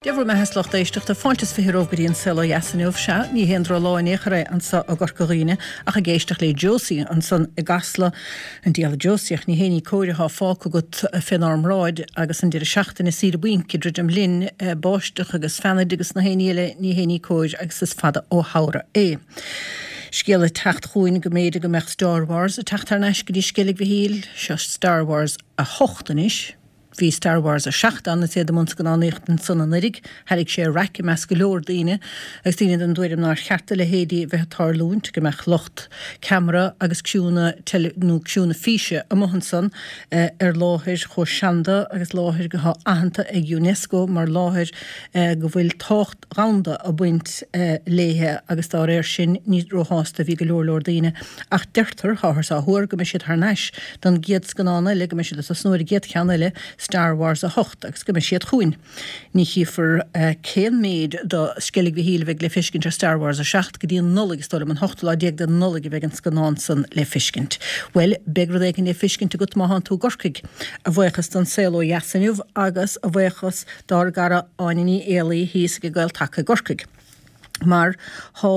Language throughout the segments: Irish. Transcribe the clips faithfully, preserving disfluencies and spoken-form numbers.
Dia bhur mbeatha, a lucht éisteachta, fáilte is fiche romhaibh go dtí an Saol Ó Dheas inniu. Sea, ní haon drochlá in aon chor é anso i gCorca Dhuibhne ach ag éisteacht le Josie ansan i gCasla, an diabhal Josie ach ní haon ní cóir atá fágtha agat fénár mbráid agus an deireadh seachtaine saoire bainc ag druidim linn, báisteach agus feannaid agus na haon ní eile, ní haon ní cóir agus is fada ó shamhradh é. Scéal ag teacht chugainn go mb'fhéidir go mbeadh Star Wars ag teacht thar n-ais go dtí Sceilg Mhichíl, seo Star Wars a hocht anois. Bhí Star Wars a seacht ann is iad i mbun scannánaíochta ansan anuraidh. Thairrig sé raic i measc go leor daoine agus daoine den dtuairim nár cheart a leithéidí a bheith ag tarlúint, go mbeadh lucht ceamara agus criúnna teile nó criúnna físe amuigh ansan ar láthair chomh seanda agus láthair atá aitheanta ag Unesco mar láthair go bhfuil tábhacht dhomhanda ag baint léithe agus dá réir sin ní róshásta a bhí go leor leor daoine. Ach deirtear, táthar á thuar, go mbeidh siad thar n-ais don gcéad scannán eile, go mbeidh siad ag tosnú ar an gcéad cheann eile, Star Wars a hocht, agus go mbeidh siad chugainn. Ní chífear cén méid do Sceilg Mhichíl a bheidh le feiscint ar Star Wars a seacht go dtí an Nollaig, is dóigh liom, an hochtú lá déag de Nollaig a bheidh an scannán san le feiscint. Bhuel, beidh rud éigin le feiscint agat má thánn tú i gCorcaigh, a bhuíochas don Saol Ó Dheas inniu agus a bhuíochas dár gcara Áine Ní Éalaí thíos ag Gael-Taca i gCorcaigh. Mar thá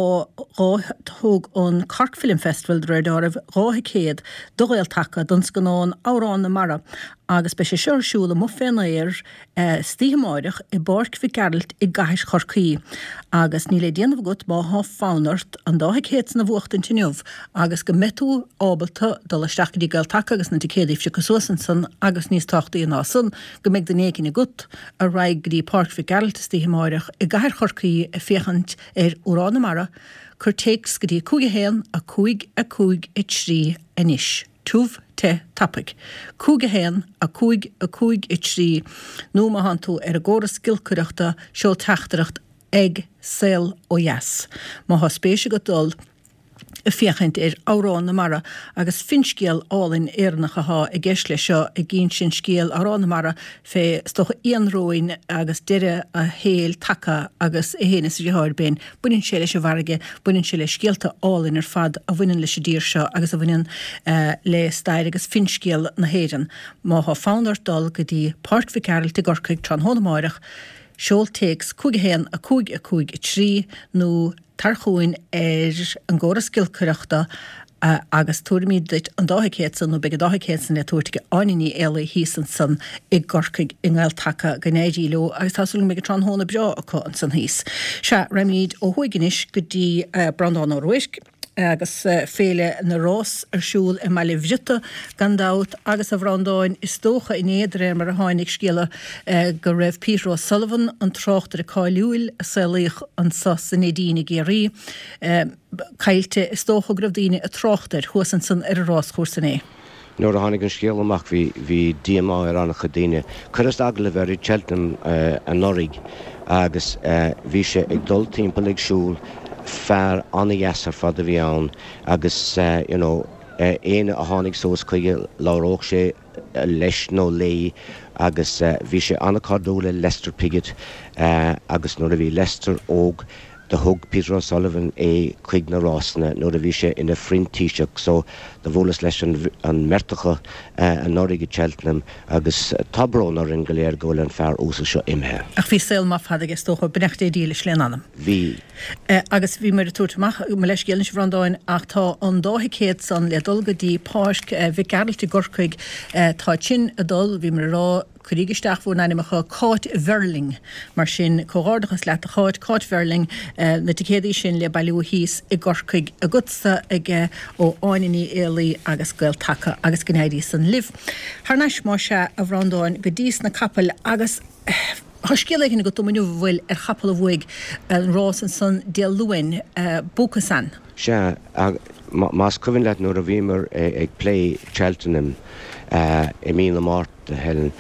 dhá thug an Cork Film Festival, de réir dealraimh, dhá thicéad do Ghael-Taca don scannán Amhrán na Mara agus beidh sé seo ar siúl amuigh fén aer istoíche amáireach i bPáirc Mhic Gearailt i gcathair Chorcaí. Agus níl le déanamh agat má thá fonn ort an dá thicéad san a bhuachtaint inniu agus go mbeidh tú ábalta dul isteach go dtí Gael-Taca agus na ticéadaí a phiocadh suas ansan agus níos tábhachtaí ná san, go mbeidh duine éigin agat a raghaidh go dtí Páirc Mhic Gearailt istoíche amáireach i gcathair Chorcaí ag féachaint ar Amhrán na Mara, cuir téacs go dtí cúig a haon, a cúig, a cúig, a trí anois. Tiubh, te, tapaidh. Cúig a haon, a cúig, a cúig, a trí nó má thánn tú ar an gcóras giolcaireachta seol teachtaireacht ag Saol Ó Dheas. Má thá spéis agat dul ag féachaint ar Amhrán na Mara agus finscéal álainn Éireannach athá i gceist leis seo ag insint scéal Amhrán na Mara fé is dócha ianróin agus deireadh a shaoil tagtha agus é féin is a dheartháir Ben. Baineann sé leis an bhfarraige, baineann sé le scéalta álainn ar fad a bhaineann leis an dtír seo agus a bhaineann le stair agus finscéal na hÉireann. Má thá fonn ort dul go dtí Páirc Mhic Gearailt i gCorcaigh tráthnóna amáireach, seol téacs cúig a haon a cúig a cúig a trí nó Tar chugainn ar an gcóras giolcaireachta agus tabharfaimid duit an dá thicéad san, nó beidh an dá thicéad san le tabhairt ag Áine Ní Éalaí thíos ansan i gCorcaigh i nGael-Taca. Go n-éirí leo agus tá súil go mbeidh an tráthnóna breá acu ansan thíos. Sea, raghaimid ó thuaidh anois go dtí Breandán Ó Ruairc. agus Féile na Rás ar siúl i mBaile Bhriota gan dabht agus a Bhreandáin is dócha inné de réir mar a tháinig scéala go raibh Peter O'Sullivan, an tráchtaire cáiliúil a saolaíodh anso sa Neidín i gCiarraí, caillte. Is dócha go raibh daoine ag trácht air thuas ansan ar an ráschúrsa inné. Nuair a tháinig an scéal amach bhí bhí díomá ar an-chuid daoine. Chuireas agallamh air i Cheltenham anuraidh agus bhí sé ag dul timpeall ag siúl, fear an-dheas ar fad a bhí ann agus you know éinne a tháinig suas chuige labhródh sé leis nó léi agus bhí sé an-chairdiúil le Lester Piggott agus nuair a bhí Lester óg Do thug Peter O'Sullevan é chuig na rásanna nuair a bhí sé ina phrintíseach so do bhuaileas leis an mbeirt acu anuraidh i Cheltenham agus tá brón orainn go léir go bhfuil an fear uasal seo imithe. Ach bhí saol maith fada aige is dócha, beannacht Dé dílis lena anam. Bhí. Agus bhíomar ag tabhairt amach, mo leithscéal anois a Bhreandáin, ach tá an dá thicéad san le dul go dtí Páirc Mhic Gearailt i gCorcaigh, tá sin ag dul, bhíomar ag rá, Cuiríg isteach bhur n-ainmeacha Cáit Verling. Mar sin, comhghairdeachas leat a Cháit, Cáit Verling, na ticéadaí sin le bailiú thíos i gCorcaigh agatsa aige ó Áine Ní Éalaí agus Gael-Taca agus go n-éirí san libh. Thar n-ais más ea, a Bhreandáin, go dtí sna capaill agus tá scéal éigin agat dom inniu, an bhfuil, ar chapall a bhuaigh an rás ansan Dé Luain, Bucasán. Sea, más cuimhin leat nuair a bhíomar ag plé Cheltenham i mí na Márta, Helen,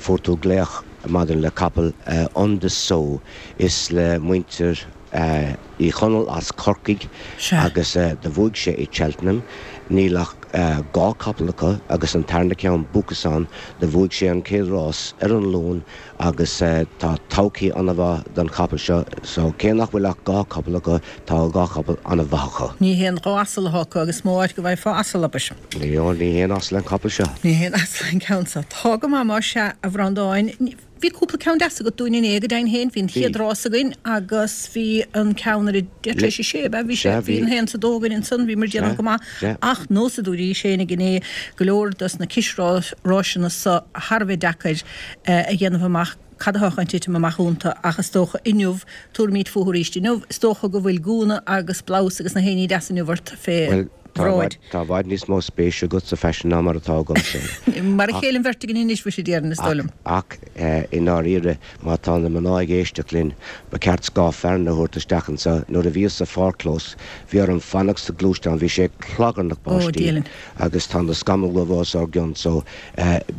fuair tú glaoch maidir le capall Un De Sceaux. Is le muintir Uí Chonaill as Corcaigh agus do bhuaigh sé i Cheltenham. Níl ach dhá capall acu agus an tarna ceann, Bucasán, do bhuaigh sé an chéad rás ar an Luan agus tá todhchaí an-mhaith don chapall seo so cé nach bhfuil ach dhá chapall acu, tá dhá chapall an-mhaith acu. Ní haon dhá asal atá acu agus is mó áit go bhfaighfeá asal, abair. Ní haon asal an capall seo. Ní haon asal an ceann seo. Tá go maith más ea, a Bhreandáin. Bhí cúpla ceann deas agat dúinn inné, go deimhin féin. Bhí an chéad rás againn agus bhí an ceann ar a deich tar éis a sé, ab ea? Bhí sé, bhí an haon is a dó againn ansan, bhíomar ag déanamh go maith. Ach nós a dúraís féinig inné, go leor dos na cisráiseanna so thar a bheith deacair a dhéanamh amach cad atá chun titim amach iontu ach is dócha inniu, tabharfaimid fúthu arís inniu, is dócha go bhfuil gúna agus blouse agus na haon ní deas inniu ort fé Tá i bhfad, tá i bhfad níos mó spéise agat sa bhfaisean ná mar atá agamsa. Mar a chéile an bheirt againn anois, muise, déarfainn, is dóigh liom. Ach, ach, i ndáiríre, má tá na mná ag éisteacht linn, ba cheart scáth fearthainne a thabhairt isteach anseo. Nuair a bhíos sa pháircchlós, bhí orm fanacht sa ghluaisteán, bhí sé ag clagarnach Ó, báistí diabhail. agus tá na scamaill os ár gcionn so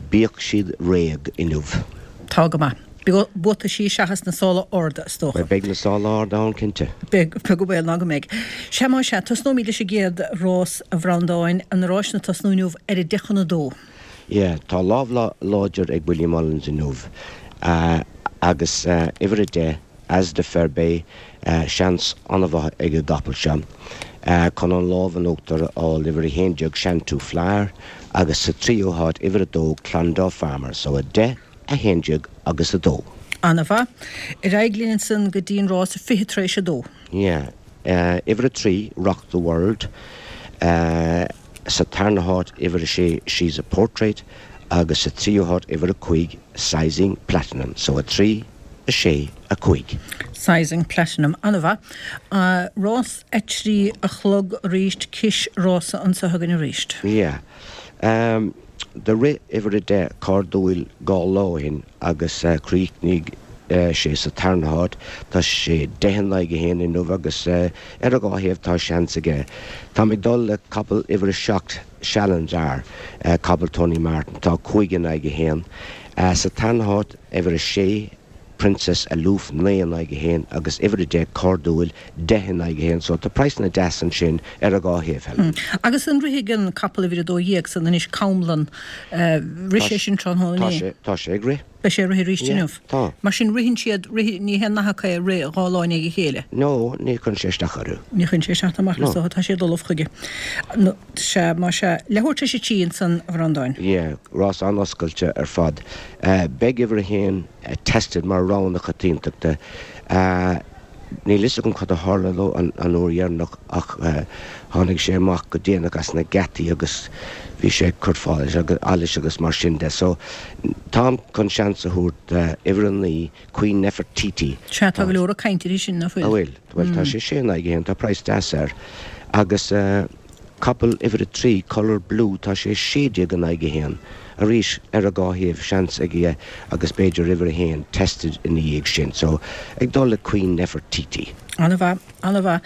bíodh siad réidh inniu. Tá go maith. Buataisí seachas na sála arda, is dócha. Bhuel, beidh na sála arda ann, cinnte. Beidh, beag an baol ná go mbeidh. Sea, más ea, tosnóimid leis an gcéad rás, a Bhreandáin, na ráiseanna ag tosnú inniu ar a deich chun a dó. Yeah, tá lámh láidir ag Willie Mullins inniu agus uimhir a deich, As De Ferbey, seans an-mhaith ag an gcapall seo chun an lámh in uachtar a fháil, uimhir a haon déag, Shantou Flyer, agus sa tríú háit, uimhir a dó, Clondaw Farmer. So a deich, a haon déag agus a dó. An-mhaith. Ar aghaidh linn ansan go dtí an rás fiche tar éis a dó. Yeah. Uimhir a trí, Rock the World. Sa tarna háit, uimhir a sé, She's a Portrait agus sa tríú háit, uimhir a cúig, Sizing Platinum. So a trí, a sé, a cúig. Sizing Platinum. An-mhaith. Rás a trí a chlog arís, cisrása anso againn arís. Yeah. Do rith uimhir a deich Cairdiúil dhá lá ó shin agus chríochnaigh sé sa tarna háit. Tá sé deich in aghaidh a haon inniu agus ar a dhá thaobh tá seans aige. Táim ag dul le capall uimhir a seacht, Shalanzar, capall Tony Martin. Tá cúig in aghaidh a haon. Sa tarna háit, uimhir a sé, Princess Aloof, naoi in aghaidh a haon, agus uimhir a deich, Cairdiúil, deich in aghaidh a haon. So tá praghsanna deas ansin ar a dhá thaobh, Helen. Agus an rithfidh an capall uimhir a dó dhéag san anois, Camlann, rith sé sin tráthnóna Tá inné? sé, tá sé ag rith. Beidh sé ag rith arís Yeah, inniu? tá. Mar sin ritheann siad, rith, ní haon nath acu é rith dhá lá i ndiaidh a chéile? No, ní chuireann sé isteach orthu. Ní chuireann sé isteach ná amach, No. is dócha, tá siad ullamh chuige. No, sea, más ea. Leathuair tar éis a trí ansan, a Bhreandáin. Yeah, rás an-oscailte ar fad. Beidh uimhir a haon Tested mar rogha na coitiantachta. Níl fhios agam cad a tharla dó an uair dheireanach ach tháinig sé amach go déanach as na geataí agus bhí sé ag cur allais agus mar sin de. So, táim chun seans a thabhairt d'uimhir a naoi, Queen Nefertiti. Sea, tá go leor ag caint uirthi sin, nach bhfuil? An bhfuil? Bhuel, tá sé sé in aghaidh a haon, tá praghas deas air. Agus capall uimhir a trí, Colour Blue, tá sé sé déag in aghaidh a haon. Arís, ar a dhá thaobh, seans aige agus b'fhéidir uimhir a haon, Tested ina dhiaidh sin. So, ag dul le Queen Nefertiti. An-mhaith, an-mhaith.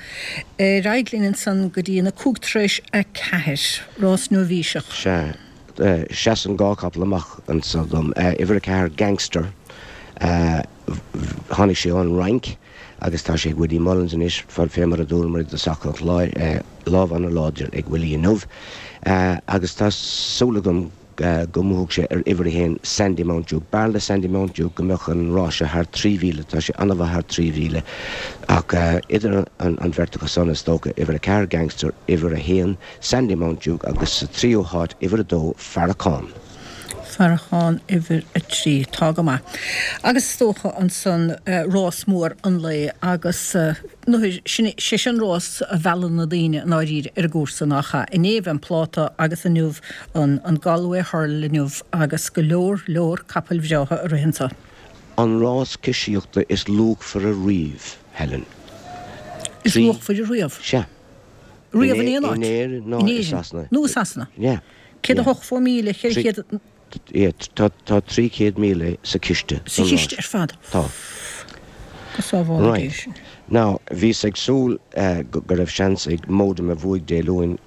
Ar aghaidh linn ansan go dtí an a cúig tar éis a ceathair, rás nóibhíseach. Sea. Seasann dhá chapall amach anso dom. Uimhir a ceathair, Gangster. Tháinig sé ón Fhrainc agus tá sé ag Willie Mullins anois, fé mar a dúramar i dtosach an chláir, lámh an-láidir ag Willie inniu agus tá súil agam go mbuafaidh sé ar uimhir a haon, Sandymount Duke. B'fhearr le Sandymount Duke go mbeadh an rás seo thar trí mhíle, tá sé an-mhaith thar trí mhíle ach idir an bheirt acu san is dócha, uimhir a ceathair, Gangster, uimhir a haon, Sandymount Duke agus sa tríú háit, uimhir a dó, Farrakhan. Farrakhan uimhir a trí. Tá go maith. Agus is dócha ansan rás mór an lae agus nuair, sin, sé sin rás a mheallann na daoine i ndáiríre ar an gcúrsa, nach ea? Inné bhí an pláta agus inniu an, an Galway Hurdle inniu agus go leor, leor capaill bhreátha ag rith anso. An rás cisíochta is luachmhaire riamh, Helen. Is Trí. luachmhaire riamh? Sea. Riamh in aon áit? In Éirinn ná In i Éirinn Sasana. nó i Sasana. Yeah. Céad a hochtó míle, ceithre chéad. Yeah, tá tá trí chéad míle sa chiste Sa don chiste rás. ar fad. Tá. Go sábhála Dia Right. sinn. Now, bhíos ag súil go go raibh seans ag Modum a bhuaigh Dé Luain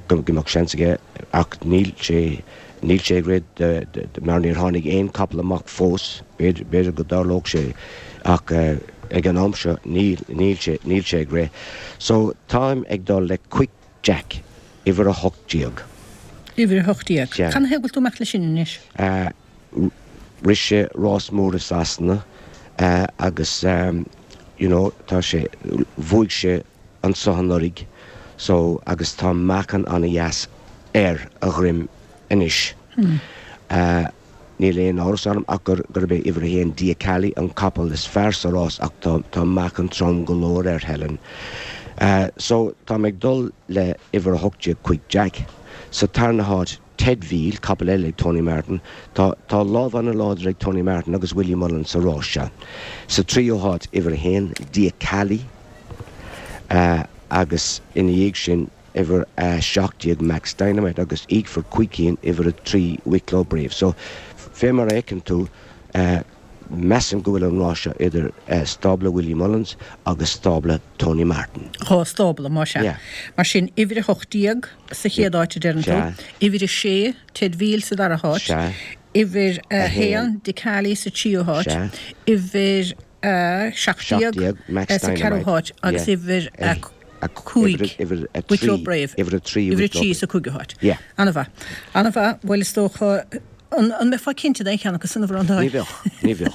go go mbeadh seans aige ach níl sé níl sé ag rith de de mar níor tháinig aon capall amach fós. B'fhéidir b'fhéidir go dtarlódh sé ach ag an am seo níl níl sé níl sé ag rith. So táim ag dul le Quick Jack, uimhir a hocht déag. Uimhir a hocht déag. Sea. Canathaobh go bhfuil tú ag imeacht leis sin anois? Rith sé rás mór i Sasana agus you know tá sé, bhuaigh sé anso anuraidh so agus tá meáchan an-dheas ar a dhroim anois. Níl aon amhras orm ach gurb é uimhir a haon Dia Cali an capall is fearr sa rás ach tá tá meáchan trom go leor air Helen. So tá mé ag dul le uimhir a hocht déag Quick Jack. Sa tarna háit Ted Veal, capall eile ag Tony Martin. Tá tá lámh an-láidir ag Tony Martin agus Willie Mullins sa rás seo. Sa tríú háit uimhir a haon Dia Cali agus ina dhiaidh sin uimhir a seacht déag Max Dynamite agus íocfar cúig cinn uimhir a trí Wicklow Brave. So fé mar a fheiceann tú measaim go bhfuil an rás seo idir stábla Willie Mullins agus stábla Tony Martin. Dhá stábla, más ea. Yeah. Mar sin uimhir a hocht déag sa chéad áit a deireann tú, Sea. uimhir a sé Ted Veal sa dara háit, Sea. uimhir a A haon. haon Dicali sa tríú háit, Sea. uimhir a seacht Seacht déag déag Max sa ceathrú Dynamite. háit agus Yeah. uimhir a A cúig uimhir a Wicklow trí Brave. uimhir a trí Uimhir a Wicklow trí Brave. sa cúigiú háit. Yeah. An-mhaith. An-mhaith, bhuel is dócha an an mbeifeá cinnte d'aon cheann acu san a Bhreandáin? Ní bheadh, ní bheadh.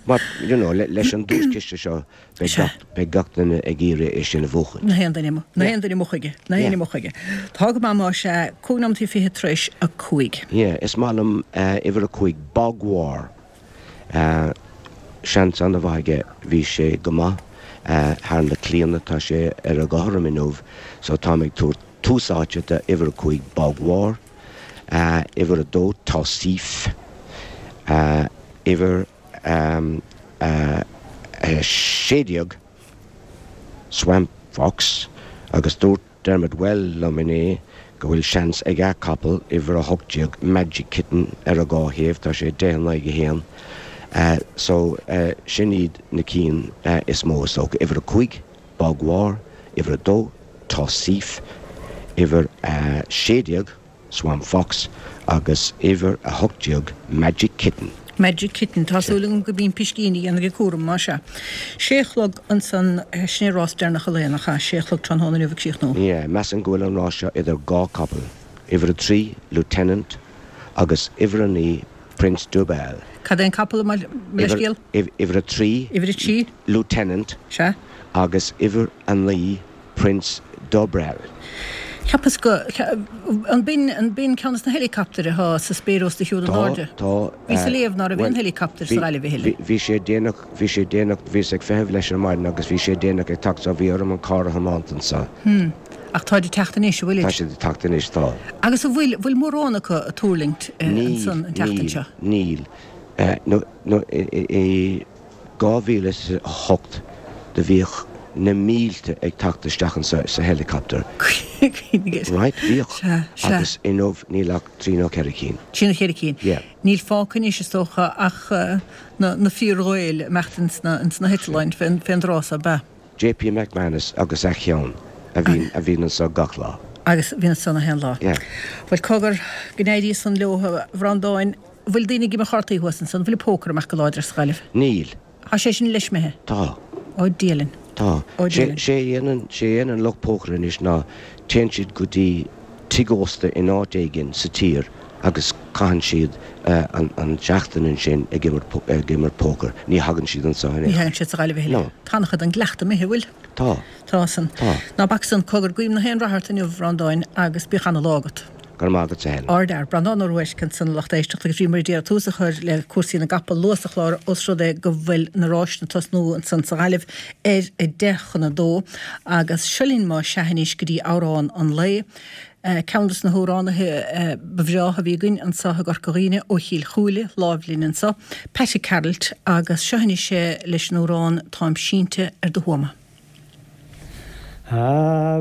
But you know, le, leis an duaischiste seo beidh Sea. gach, beidh gach duine ag iarraidh é sin a bhuachan. Na haon duine, na Yeah. haon duine amuigh chuige, na haon Yeah. duine amuigh chuige. Tá go maith más ea, cúig nóiméad fiche tar éis a cúig. Yeah, is maith liom uh, uimhir a cúig Bog War. Uh, seans an-mhaith aige bhí sé go maith uh, thar na blianta tá sé ar a gcothrom inniu, so táim ag tabhairt tús áite do uimhir a cúig Bog War, uh, uimhir a dó Tausif, uh, uimhir um, uh, uh, sé déag Swamp Fox agus dúirt Dermot Well liom inné go bhfuil seans ag a capall uimhir a hocht déag Magic Kitten ar a dhá thaobh tá sé deich in aghaidh a haon. Uh, so uh, sin iad na cinn uh, is mó is dócha uimhir a cúig Bog War, uimhir a dó Tausif, uimhir uh, sé déag Swamp Fox agus uimhir a hocht déag Magic Kitten. Magic Kitten, tá súil agam go mbíonn piscíní an ag cúram mar seo. Sé chlog ansan sin rás deireanach an lae nach ea, sé chlog tráthnóna inniu ag críochnú. Yeah, measaim go bhfuil an rás seo idir dhá capall. Uimhir a trí Lieutenant agus uimhir a naoi Prince Dubel. Cad é an capall mar leithscéal? Uimhir a trí Uimhir a trí? Lieutenant Sea. agus uimhir a naoi Prince Dubrel. Cheapas go an b'in an b'in ceann de na helicopter atá sa spéir os do chionn in airde. Tá Bhí sa léamh ná raibh aon helicopter sa Ghaillimh a thuilleadh. Bhí sé déanach bhí sé déanach bhíos ag feitheamh leis ar maidin agus bhí sé déanach ag teacht so bhí orm an carr a thiomáint anseo. Hmm. Ach táid ag teacht anois, an bhfuil? Tá siad ag teacht anois tá. Agus an bhfuil bhfuil mórán acu ag tuirlingt ansan an tseachtain seo? Níl, níl. No no i dhá mhíle is a hocht do bhíodh na mílte ag teacht isteach anseo sa helicopter. Right, bhíodh. Sea, sea. Agus inniu níl ach trí nó ceithre cinn. Trí nó ceithre cinn. Yeah. Níl fágtha anois is dócha ach na, na fíor-Ghaeil imeacht ins na, ins na heitleáin fén, fén dtráth so, ab ea. JP McManus agus a cheann a bhíonn, a bhíonn anseo gach lá. Agus bhíonn anseo na haon lá. Yeah. Bhuel cogar go n-éirí san leo a Bhreandáin, bhfuil daoine ag imirt cártaí thuas ansan, bhfuil pócar amach go láidir sa Ghaillimh? Níl. Tá sé sin leismithe? Tá. Ó Dia linn. Tá. Ó Dia linn. Sé a dhéanann, sé a dhéanann lucht pócair anois ná téann siad go dtí tigh ósta in áit éigin sa tír agus caitheann siad an an tseachtain ansin ag imirt ag imirt pócair. Ní thagann siad anseo in Ní aon thagann siad sa Ghaillimh a thuilleadh. No. Tá an-chuid den gcleachtadh imithe, bhfuil? Tá. Tá san. Tá. Ná bac san, cogar, guím na haon rath ort inniu, a Bhreandáin, agus bíodh ana-lá agat. Go raibh maith agat a Helen. Ardfhear, Breandán Ó Ruairc ansan a lucht éisteachta agus bhíomar ag iarraidh tús a chur le cúrsaí na gcapall luath sa chlár os rud é go bhfuil na ráiseanna ag tosnú ansan sa Ghaillimh ar a deich chun a dó agus seo linn más ea anois go dtí amhrán an lae. Ceann des na hamhránaithe ba bhreátha a bhí againn anso i gCorca Dhuibhne ó Chill Chúile, láimh linn anso, Paddy Carroll agus seo anois é leis an amhrán Táim sínte ar do thuama. A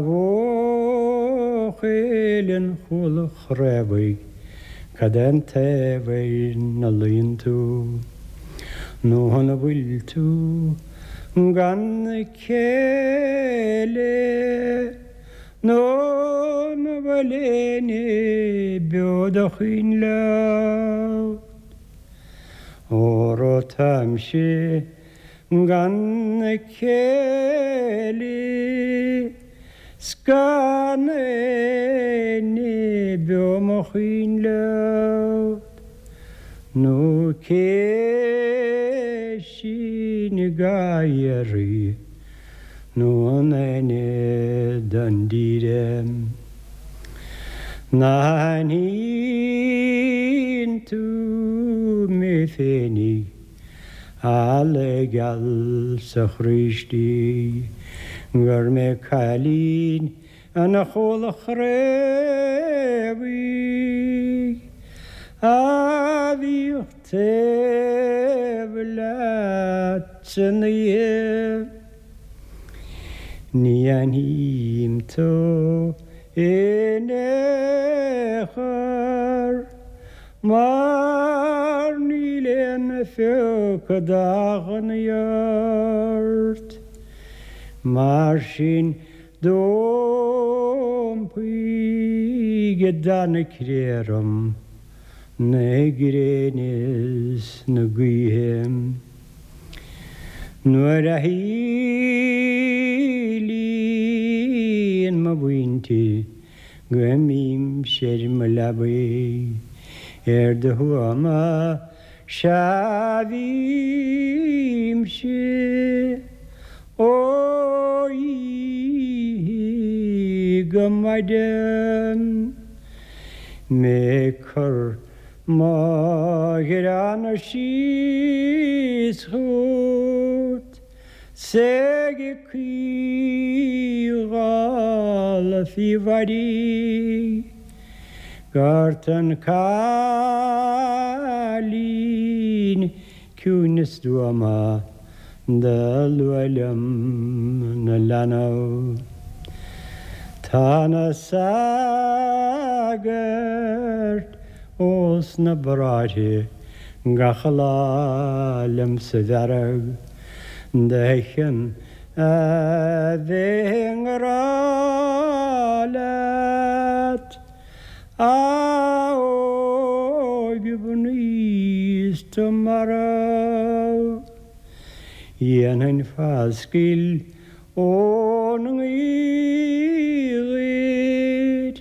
bhuachaill an chúla chraobhaigh, cad é an taobh ina luíonn tú? Nó an bhfuil tú gan chéile? Nó an bhfuil éinne beo do chaoin leat? Óró táimse gan chéile 's gan éinne beo mo chaoin leat, nó cé sin i gcathaoir nó an éinne don dídean. Ná haithníonn tú mé féinig a geal sa chroí istigh gur mé cailín an Chúil Chraobhaigh a bhíodh taobh leat san oíche. Ní aithním tú in aon chor mar níl aon phioc d'achainní ort. Mar sin d'iompaigh i dteann cré orm na gréine is na gaoithe. Nuair a shíleann mo mhuintir go mbímse ar mo leabaidh ar do thuama sea bhímse ó oíche go maidin mé ag cur mo ghreana síos chugat 's ag caoineadh faoi Mhaidhc Gort an cailín ciúin is stuama do luadh liom 'na leanbh. Tá na sagairt ós na bráithre gach lá liom sa bhfearg de chionn a bheith i ngrá leat a óige mhnaoi 's tú marbh. Dhéanfainn foscadh ón ngaoth dhuit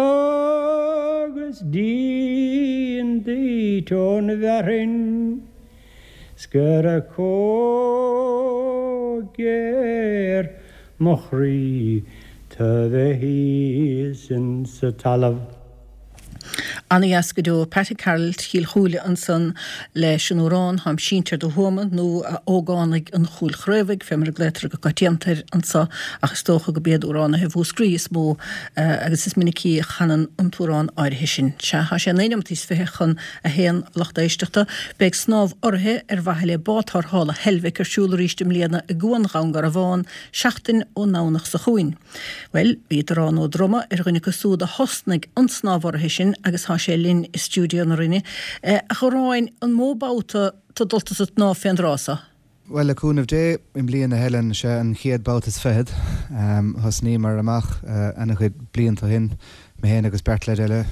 agus díon duit ón bhfearthainn 's go raibh chomh géar mo chroí tu bheith thíos insa talamh. Ana-dheas go deo. Patty Carroll Chill Chúile ansan leis an amhrán Táim Sínte ar do Thuama nó A Ógánaigh an Chúil Chraobhaigh, fé mar a glaotar go coitianta air anso ach is dócha go b'iad amhránaithe Mhúscraí is mó agus is minicí a chanann an t-amhrán áirithe sin. Sea, tá sé naoi nóimeataí is fiche chun a haon a lucht éisteachta. Beidh snámh urraithe ar mhaithe le Bád Tarrthála Heilbhic ar siúl arís i mbliana i gCuan Dhún Garbhán seachtain ón nDomhnach seo chugainn. Bhuel, bhí Darán Ó Droma ar dhuine acu súd a thosnaigh an snámh urraithe sin agus tá sé linn i stiúideo na Rinne. A Dharáin, an mó babhta tá dulta sa tsnámh fén dtráth so? Bhuel, le cúnamh Dé, i mbliana, Helen, sé an chéad babhta is fichead. Thosnaíomar amach ana-chuid blianta ó shin, mé féin agus beirt leaid eile,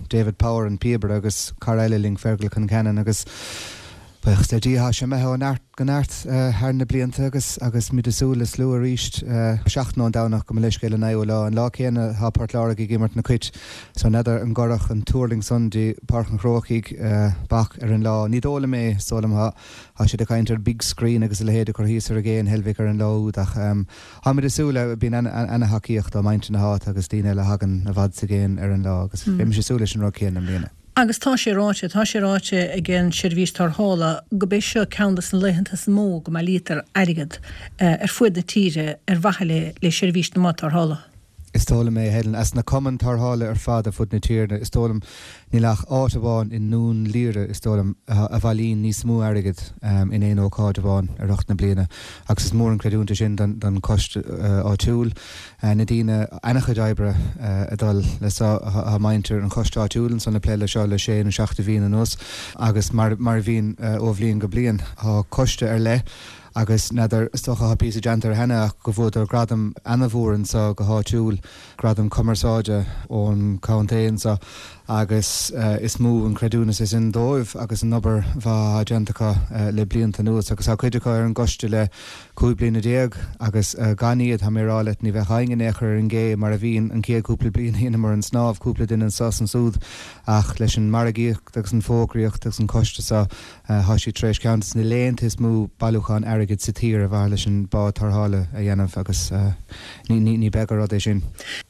David Power, an píobaire, agus cara eile linn, Fergal Concannon, agus buíochas le Dia, tá sé imithe ó neart go neart thar na blianta agus agus muid ag súil le slua arís seachtain ón Domhnach, gabh mo leithscéal, an naoú lá. An lá céanna tá Port Láirge ag imirt na Cait so n'fheadar an gcuirfeadh an tuirlingt san dtí Páirc an Chrócaigh bac ar an lá. Ní dóigh liom é, is dóigh liom tá siad ag caint ar big screen agus a leithéid a chur thíos ar an gcé in Heilbhic ar an lá úd ach táimid ag súil le, bíonn ana-thacaíocht ó mhuintir na háite agus daoine eile a thagann i bhfad is i gcéin ar an lá agus beidh mise ag súil leis an rud céanna i mbliana. Agus tá sé ráite, tá sé ráite ag an tSeirbhís Tarrthála go b'é seo ceann de na laethanta is mó go mbailítear airgead ar fuaid na tíre ar mhaithe le le seirbhís na mbád tarrthála. Is dóigh liom é, Helen. As na cumainn tarrthála ar fad ar fud na tíre, is dóigh liom, níl ach áit amháin i nDún Laoghaire, is dóigh liom, a bhailíonn níos mó airgid in aon ócáid amháin i rith na bliana agus is mór an creidiúint é sin don choiste áitiúil. Na daoine, ana-chuid oibre ag dul le seo, tá muintir an choiste áitiúil ansan ag plé le seo le sé nó seacht de bhliain anuas agus mar a bhíonn ó bhliain go bliain, tá coiste ar leith agus n'fheadar, is dócha tá píosa déanta air cheana ach go bhfuadar gradam ana-mhór anso go háitiúil, gradam cumarsáide ón chontae anso agus is mó an creidiúnas é sin dóibh agus an obair mhaith atá déanta acu le blianta anuas agus tá cuid acu ar an gcoiste le cúig bliana déag agus gan iad, tá mé ag rá leat, ní bheadh éinne in aon chor ar an gcé mar a bhíonn an chéad cúpla bliain a dheineamar an snámh, cúpla duine anso is ansúd ach leis an margaíocht agus an fógraíocht agus an coiste seo tá siad tar éis ceann de na laethanta is mó bailiúchán airgid sa tír ar mhaithe leis an bád tarrthála a dhéanamh agus ní beag an rud é sin.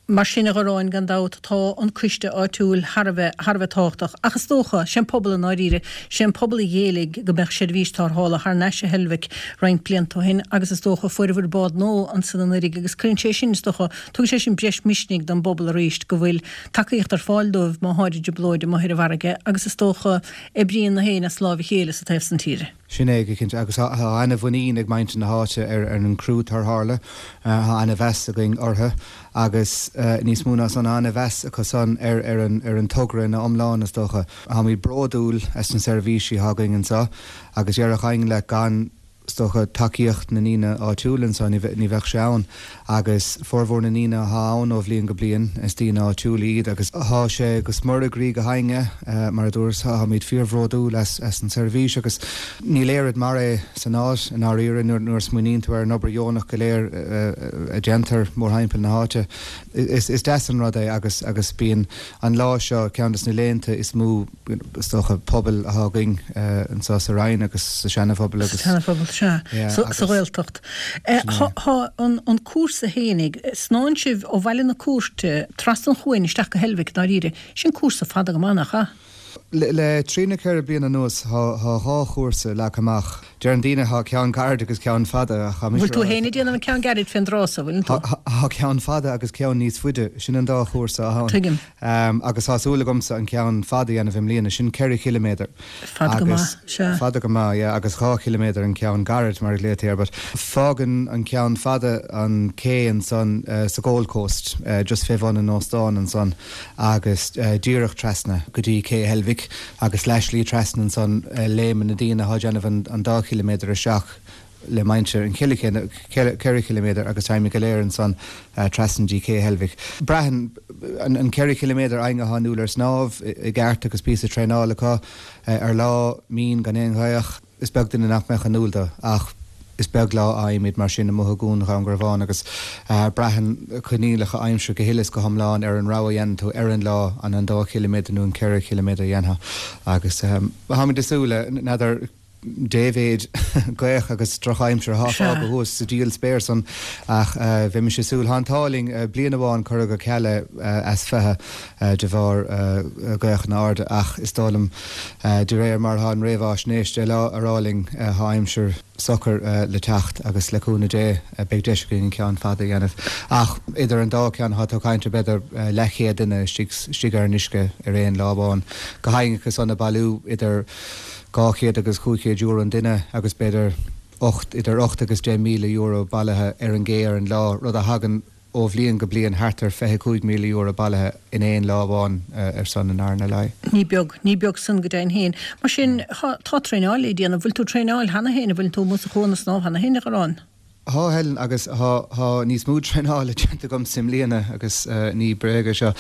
Mar sin a Ghoráin gan dabht tá an coiste áitiúil thar a bheith thar a bheith tábhachtach. Ach is dócha, sé an pobal i ndáiríre, sé an pobal a d'éiligh go mbeadh seirbhís tarrthála thar n-ais i Heilbhic roinnt blianta ó shin agus is dócha fuaireabhair bád nua ansan anuraidh agus cuireann sé sin, is dócha, tugann sé sin breis misnigh don bpobal arís go bhfuil tacaíocht ar fáil dóibh má tháid i dtrioblóid amuigh ar an bhfarraige agus is dócha oibríonn na héinne as láimh a chéile sa taobh san tíre. Sin é go cinnte, agus tá ana-mhuinín ag muintir na háite ar an gcriú tarrthála, tá ana-mheas againn orthu agus níos mó ná san, tá ana-mheas acu san ar ar an togra ina iomlán is dócha. Táimid bródúil as na seirbhísí atá againn anseo agus déarfadh éinne leat gan is dócha, tacaíocht na ndaoine áitiúla anseo, ní bheadh sé ann. Agus formhór na ndaoine atá ann ó bhliain go bliain, is daoine áitiúla iad agus tá sé go smior i gcroí gach éinne, mar a dúras, táimid fíorbhródúil as an seirbhís agus níl oiread mar é san áit, i ndáiríre, nuair a smaoiníonn tú ar an obair dheonach go léir a déantar mórthimpeall na háite. Is deas an rud é agus agus bíonn an lá seo ceann de na laethanta is mó, is dócha, pobail atá againn anseo sa Rinn agus sa Seana-Phobal agus. Sa Seana-Phobal, sea. Sa Ghaeltacht. Tá an cúrsa fhéinig, snámhann sibh ó Bhaile na Cúirte trasna an chuain isteach go Heilbhic, dáiríre. Sin cúrsa fada go maith, nach ea? Le trí nó ceithre bliana anuas tá dhá chúrsa leagtha amach. Deireann daoine tá ceann gairid agus ceann fada ach tá mise Bhfuil tú féin ag déanamh an ceann gairid fén dtráth so, bhfuileann tú? Tá ceann fada agus ceann níos faide, sin an dá chúrsa atá ann. Tuigim. Agus tá súil agamsa an ceann fada a dhéanamh i mbliana, sin ceithre chiliméadar. Fada go maith, sea. Fada go maith, yeah, agus dhá chiliméadar an ceann gairid mar a ghlaotaí air. But fágann an ceann fada an cé ansan sa Gold Coast, just fé bhun an óstáin ansan agus díreach trasna go dtí Cé Heilbhic agus leathshlí trasna ansan léimeann na daoine atá ag déanamh an dá chiliméadar isteach le muintir an ceithre chiliméadar agus táimid go léir ansan trasna dtí Cé Heilbhic. Braitheann an ceithre chiliméadar éinne atá inniúil ar snámh i gceart agus píosa traenála acu ar lá mín gan aon ghaoth. Is beag duine nach mbeadh inniúil dó ach is beag lá a fhaighimid mar sin amuigh i gCuan Dhún Garbhán agus braitheann coinníollacha aimsire go huile is go hiomlán ar an rogha a dhéanann tú ar an lá, an an dá chiliméadar nó an ceithre chiliméadar a dhéanfá agus táimid ag súil le, n'fheadar dé mhéid gaoth agus drochaimsir atá fágtha thuas sa diabhal spéir san ach bheimis ag súil. Tá an t-ádh linn, bliain amháin cuireadh go ceal é as fiche de bharr gaothanna arda ach is dóigh liom de réir mar atá an réamhaisnéis deich lá ag rá linn tá aimsir socair le teacht agus le cúnamh Dé beidh deis againn an ceann fada a dhéanamh. Ach idir an dá cheann tá tú ag caint ar b'fhéidir leathchéad duine istigh ar an uisce ar aon lá amháin. Gach éinne acu san ag bailiú idir dhá chéad agus cúig chéad euro an duine agus b'fhéidir ocht, idir ocht agus deich míle euro bailithe ar an gcé ar an lá, rud a thagann ó bhliain go bliain thart ar fiche cúig míle euro bailithe in aon lá amháin ar son an RNLI. Ní beag, ní beag san go deimhin féin. Mar sin, tá traenáil le déanamh. Bhfuil tú ag traenáil cheana féin? An bhfuil tú amuigh sa chuan ag snámh cheana féin, a Ghoráin? Tá, Helen, agus tá, tá níos mó traenála déanta agamsa i mbliana agus ní bréag é seo.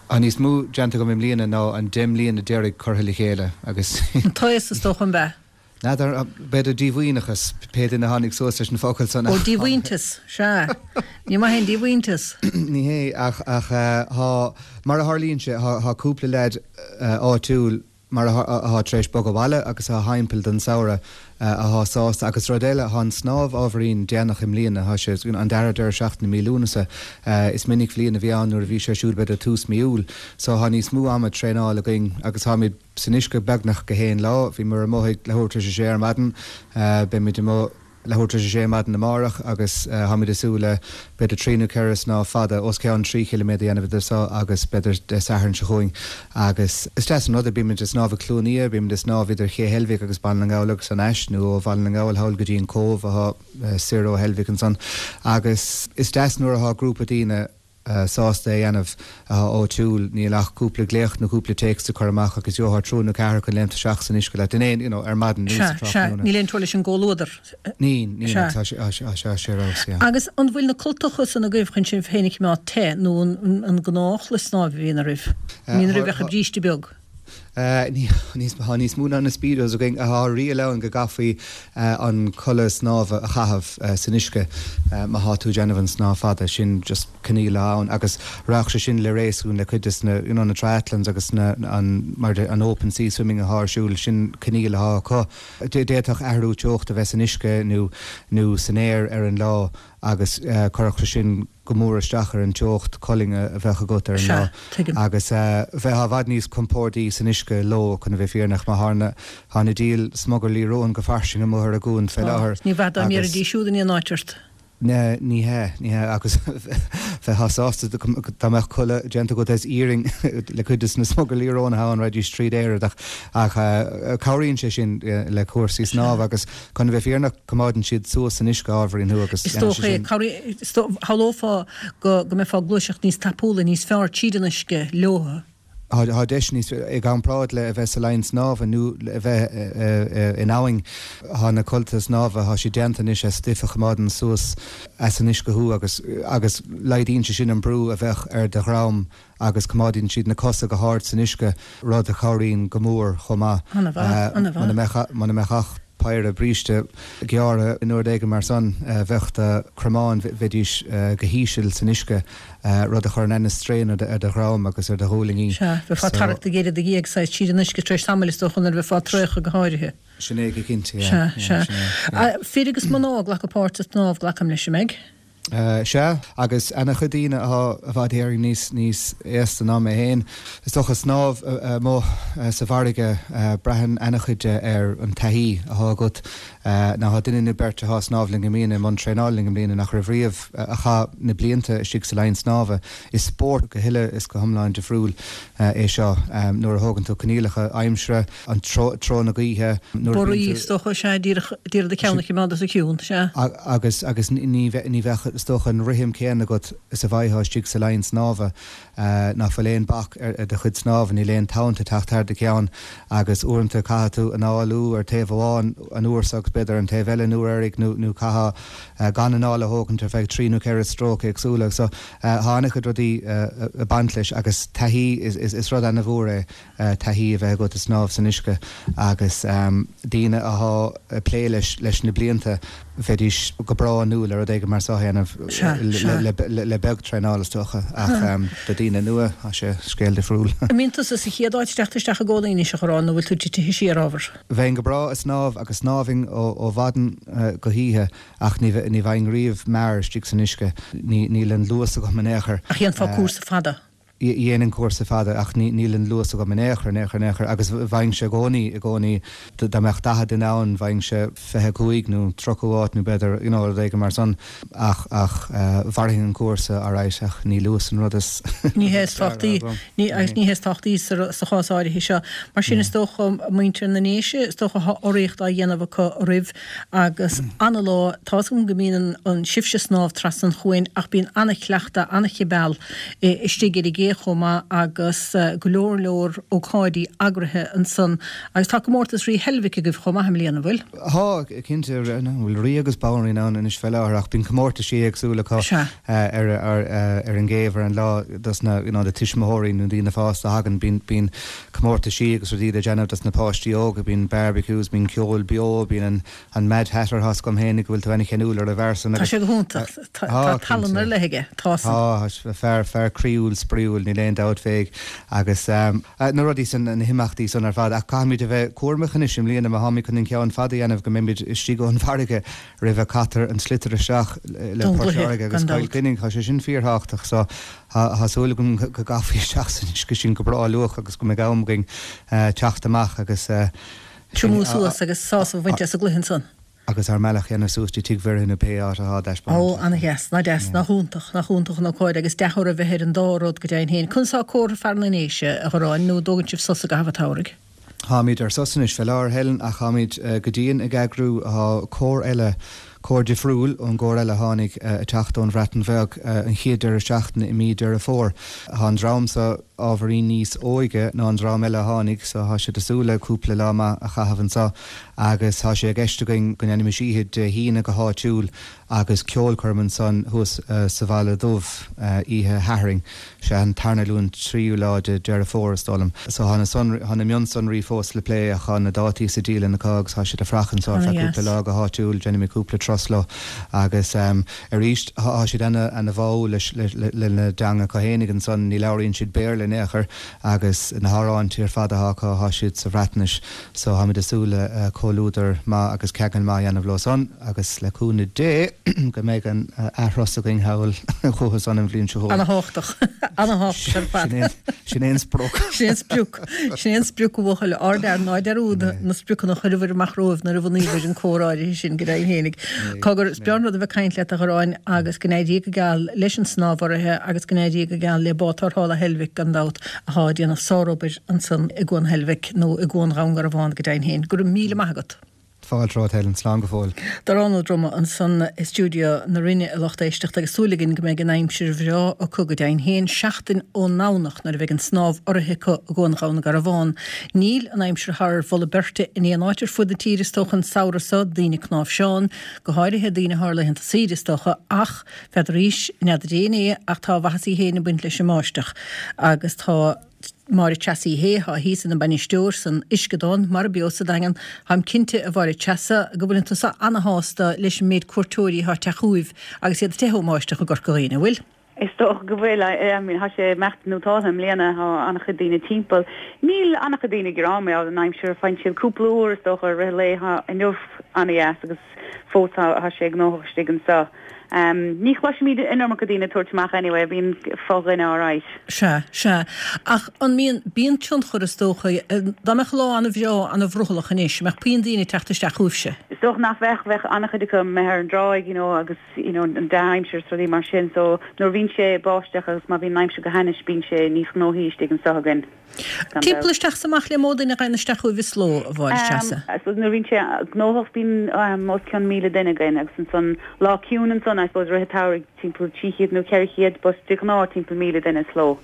Tá níos mó déanta agam i mbliana ná an deich mbliana deiridh curtha le chéile agus. An taos is dócha, an ea? N'fheadar, b'fhéidir díomhaoineachas, pé duine a tháinig suas leis an focal san. Ó, díomhaointeas, sea. Ní maith é an díomhaointeas. Ní hé, ach, ach tá, mar a tharlaíonn sé, tá, tá cúpla leaid áitiúil mar atá tar éis bogadh abhaile agus atá thimpeall don samhradh atá sásta. Agus rud eile, tá an snámh ábhairín déanach i mbliana, tá sé, an dara deireadh seachtaine mí Lúnasa. Is minic bhliain a bhí ann nuair a bhí sé ar siúl b'fhéidir tús mí Iúil. So tá níos mó ama traenála againn agus táimid, san uisce beagnach gach aon lá. Bhíomar amuigh ag leathuair tar éis a sé ar maidin. Beimid amuigh leathuair tar éis a sé ar maidin amárach agus táimid ag súil le b'fhéidir trí nó ceithre snámh fada, os cionn trí chiliméadar a dhéanamh idir seo agus b'fhéidir Dé Sathairn seo chugainn. Agus is deas an rud é, bímid ag snámh ag Cluain Fhia, bímid ag snámh idir Ché Heilbhic agus Baile na nGall agus thar n-ais, nó ó Bhaile na nGall thall go dtí an Cóbh atá soir ó Heilbhic ansan. Agus is deas nuair atá grúpa daoine, sásta é a dhéanamh atá áitiúil, níl ach cúpla glaoch nó cúpla téacs le cur amach agus gheofá triúr nó ceathrar chun léimt isteach san uisce leat in aon, you know, ar maidin nó sa Sea, sea, tráthnóna. níl aon teora leis an gcomhluadar. Níl, níl, Sea. tá sé, tá sé, tá sé ar fheabhas, yeah. Agus an bhfuil na cultacha san agaibh chun sibh féin a choimeád te nó an, an gnáthchulaith snámha a bhíonn oraibh? An mbíonn oraibh ach bríste beag? Tá níos mó ná na speedos againn. Tá riail ann go gcaithfí an culaith snámha a chaitheamh san uisce má thá tú ag déanamh an snámh fada. Sin just coinníoll atá ann agus raghadh sé sin le réasún le cuid des na, you know, na triathlons agus na, an, mar an open sea swimming athá ar siúl, sin coinníoll athá acu. D'fhéadfadh athrú teochta a bheith san uisce nó, nó san aer ar an lá agus cuirfeadh sé sin, go mór isteach ar an teocht colainne a bheadh agat ar an Sea, lá. tuigim. Agus bheifeá i bhfad níos compórdaí san uisce leo chun a bheith fírinneach mar thá na thá na diabhail smugairlí róin go fairsing amuigh ar an gcuan fé láthair. Ní bheadh dá Agus mbéarfaidís siúd in aon áit ort. Ne, ní hea, ní hea, agus bheifeá sásta dá mbeadh culaith déanta agat as iarainn le cuid de na smugairlí róin atá ann raghaidís tríd Éire ach ach cabhraíonn sé sin le cúrsaí snámha agus chun a bheith fírinneach coimeádann siad suas san uisce ábhairín thú agus Is dócha é, shamhlófá go go mbeifeá ag gluaiseacht níos tapúla, níos fearr tríd an uisce leo. Tá deis níos i gcomparáid le a bheith sa line snámha nó a bheith in abhainn thá na cultacha snámha thá siad déanta anois as stuif a choimeádann suas as an uisce thú agus agus laghdaíonn sé sin an brú a bheadh ar do dhroim agus coimeádann siad na cosa go hard san uisce rud a chabhraíonn go mór chomh maith. An-mhaith, an-mhaith. Muna mbeadh ach péire bríste gearra nó rud éigin mar san bheadh do chromáin bheidís go híseal san uisce rud a chuireann an-strain ar do dhroim agus ar do ghuaillí. Sea, bheifeá ag tarrac do ghéire do dhiaidh saghas tríd an uisce tar éis tamaill is dócha nuair a bheifeá traochta go háirithe. Sin é go cinnte, Sea, sea. Fir agus mná ag glacadh páirt sa tsnámh, glacaim leis, an mbeidh? Sea, agus ana-chuid daoine atá i bhfad Éireann níos níos aosta ná mé féin. Is dócha snámh amuigh sa bhfarraige braitheann ana-chuid de ar an taithí atá agat. Ná tá duine nó beirt atá ag snámh linn i mbliana i mbun traenála linn i mbliana nach raibh riamh a chaith na blianta istigh sa line snámha. Is spórt go huile is go hiomlán difriúil é seo nuair a thógann tú coinníollacha aimsire, an treo na gaoithe, nuair a bhíonn Borraí tú. is dócha, sea, díreach d'iarraidh do cheann a choimeád os a chionn, sea. Agus agus ní ní bheadh is dócha an rithim céanna agat is a bheifeá istigh sa line snámha ná fuil aon bac ar do chuid snámha, níl aon tonn ag teacht thar do cheann agus uaireanta caithfidh tú análú ar taobh amháin an uair seo agus b'fhéidir an taobh eile an uair eirig nó nó caithfeá gan anáil a thógaint ar feadh trí nó ceithre stróc éagsúla. So tá an-chuid rudaí ag baint leis agus taithí is is is rud ana-mhór é taithí a bheith agat ag snámh san uisce agus daoine atá ag plé leis leis na blianta bheidís go breá inniúil ar rud éigin mar seo a dhéanamh le beag traenála is dócha ach do daoine nua tá sé scéal difriúil. An mbíonn tusa sa chéad áit teacht isteach i gcónaí anois a Ghoráin nó bhfuil tú titithe siar ábhar? Bheinn go breá ag snámh agus shnámhfainn ó mhaidin go hoíche ach ní ní bheinn riamh mear istigh san uisce, níl an luas agam in aon chor. Ach dhéanfá cúrsa fada? Dhéanfainn cúrsa fada ach níl an luas agam in aon chor, in aon chor, in aon chor agus bheinnse i gcónaí, i gcónaí dá mbeadh daichead duine ann bheinnse fiche cúig nó tríocha áit nó b'fhéidir you know rud éigin mar san ach ach mhairfinn an cúrsa alright ach ní luas an rud is Ní hé is tábhachtaí, ní agus ní hé is tábhachtaí sa sa chás áirithe seo. Mar sin is dócha muintir na nDéise, is dócha tá urraíocht á dhéanamh acu roimh agus ana-lá, tá 'fhios agam go mbíonn an sibhse ag snámh trasna an chuain ach bíonn ana-chleachtadh, ana-chibeal istigh ar an gcé chomh maith agus go leor leor ócáidí eagraithe ansan. Agus tá comórtas Rí Heilbhic agaibh chomh maith i mbliana, an bhfuil? Tá, cinnte, bhfuil rí agus banríon ann anois fé láthair ach bíonn comórtaisí éagsúla acu ar ar an gcéibh ar an lá dos na you know na tuismitheoirí nó daoine fásta a thagann bíonn bíonn comórtaisí agus rudaí le déanamh dos na páistí óga, bíonn barbecues, bíonn ceol beo, bíonn an an Mad Hatter tá 'fhios agam féin go bhfuil tú ana-cheanúil ar an bhfear san Tá agus sé go hiontach, tá Tá, tallann ar cinnte. leith aige, tá san. Tá, fear fear croíúil spraíúil, níl aon dabht fé agus na rudaí san, na himeachtaí san ar fad ach caithfimid a bheith cúramach anois i mbliana má tháimid chun an ceann fada a dhéanamh go mbeimid istigh ón bhfarraige roimh a caitear an sliotar isteach le Don Port gcluiche, Láirge agus gan Cill dabht. Chainnigh, tá sé sin fíorthábhachtach so tá súil agam go gcaithfí isteach san uisce sin go breá luath agus go mbeidh am againn teacht amach agus Triomú suas agus sásamh a bhaint as an gcluiche ansan. agus ár mbealach a dhéanamh suas dtí Tigh Mhuire nó pé áit atá Ó, ana-dheas, ná deas, nach iontach, nach iontach an ócáid agus dea-thoradh a bheith ar an dá rud go deimhin féin. Conas atá comhartha fear na nDéise, a Ghoráin, nó an dtógann sibh sos i gcaitheamh an tsamhraidh? Táimid ar sos anois fé láthair, Helen, ach táimid go dian ag eagrú, tá cór eile, cór difriúil ón gcór eile a tháinig ag teacht ón Bhreatain Bheag an chéad deireadh seachtaine i mí Deireadh Fómhair. Tá an dream seo ábhairín níos óige ná an dream eile a tháinig so tá siad ag súil le cúpla lá maith a chaitheamh anseo agus tá sé i gceist againn go ndéanfaimis oíche Dé hAoine go háitiúil agus ceolchoirm ansan thuas sa Bhaile Dubh oíche Shathairn, sé an tarna Luan tríú lá de Deireadh Fómhair is dóigh liom. So tá na sonraí, tá na mionsonraí fós le plé ach tá na dátaí sa dialann acu agus tá siad ag fuireach anseo ar feadh cúpla lá go háitiúil, déanfaimid cúpla turas leo agus arís tá siad ana ana bháúil leis lena dteanga acu fhéinig ansan, ní labhraíonn siad Béarla. in aon chor agus na hamhráin ar fad atá acu tá siad sa Bhreatnais so táimid ag súil le comhluadar maith agus ceangal maith a dhéanamh leo san agus le cúnamh Dé go mbeidh an athrá againn thall chucu san an bhliain seo chugainn. Ana-thábhachtach. Ana-thábhachtach ar fad. Sin é an sprioc. Sin é an sprioc. Sin é an sprioc a bhuachaill ardfhear ná dearúd na spriocanna a chuireabhair amach romhaibh nuair a bhunaíobhair an cór áirithe sin go deimhin fhéinig. Cogar, is breá an rud a bheith ag caint leat a Gharáin agus go n-éirí go geal leis an snámh urraithe agus go n-éirí go geal le Bád Tarrthála Heilbhic gan dabht athá ag déanamh sárobair ansan i gCuan Heilbhic nó i gCuan Dhún Garbhán go deimhin féin. Go raibh míle maith agat. Fáilte romhat Helen, slán go fóill. Darán Ó Droma ansan i stiúideo na Rinne a lucht éisteachta agus súil againn go mbeidh an aimsir bhreá acu go deimhin féin seachtain ón nDomhnach nuair a bheidh an snámh urraithe acu i gCuan Dhún Garbhán. Níl an aimsir thar mholadh beirte in aon áit ar fud na tíre is dócha an samhradh seo, daoine ag cnáimhseán, go háirithe daoine atá ar laethanta saoire is dócha, ach n'fheadaraís, n'fheadar éinne é ach tá a mhaitheasaí féin ag baint leis an mbáisteach agus tá Máire Treasa Uí Shé, atá thíos ina bainisteoir san Uisceadán, Mara Beo sa Daingean. Táim cinnte, a Mháire Treasa, go bhfuileann tusa ana-shásta leis an méid cuairteoirí atá ag teacht chugaibh agus iad ag teitheadh ón mbáisteach i gCorca Dhuibhne, an bhfuil? Is dócha go bhfuil. I mean, tá sé imeacht nótáltha i mbliana, tá an-chuid daoine timpeall. Níl an-chuid daoine ag gearán mar gheall ar an aimsir, faigheann siad cúpla uair, is dócha, i rith an lae. Tá inniu an-dheas agus fós tá sé gnóthach istigh anseo. Ní chloisimid an iomarca daoine ag tabhairt amach anyway, bíonn fo-dhuine alright. Sea, sea. Ach an mbíonn, bíonn tionchar is dócha, dá mbeadh lá an-bhreá, an-bhrothallach anois, an mbeadh puinn daoine ag teacht isteach chugaibhse? Is dócha nach bheadh, bheadh an-chuid acu amuigh ar an dtráigh, you know, agus, you know, an dea-aimsir is rudaí mar sin. So nuair a bhíonn sé ag báisteach agus má bhíonn an aimsir go hainnis bíonn sé níos gnóthaí istigh anseo againn. Timpeall isteach is amach le mó duine a ghabhann isteach chugaibh sa ló, a Mháire Treasa? I suppose nuair a bhíonn sé gnóthach bíonn os cionn míle duine againn agus ansan lá ciúin ansan I suppose rith an tsamhraidh timpeall trí chéad nó ceithre chéad but de ghnáth timpeall míle duine sa ló.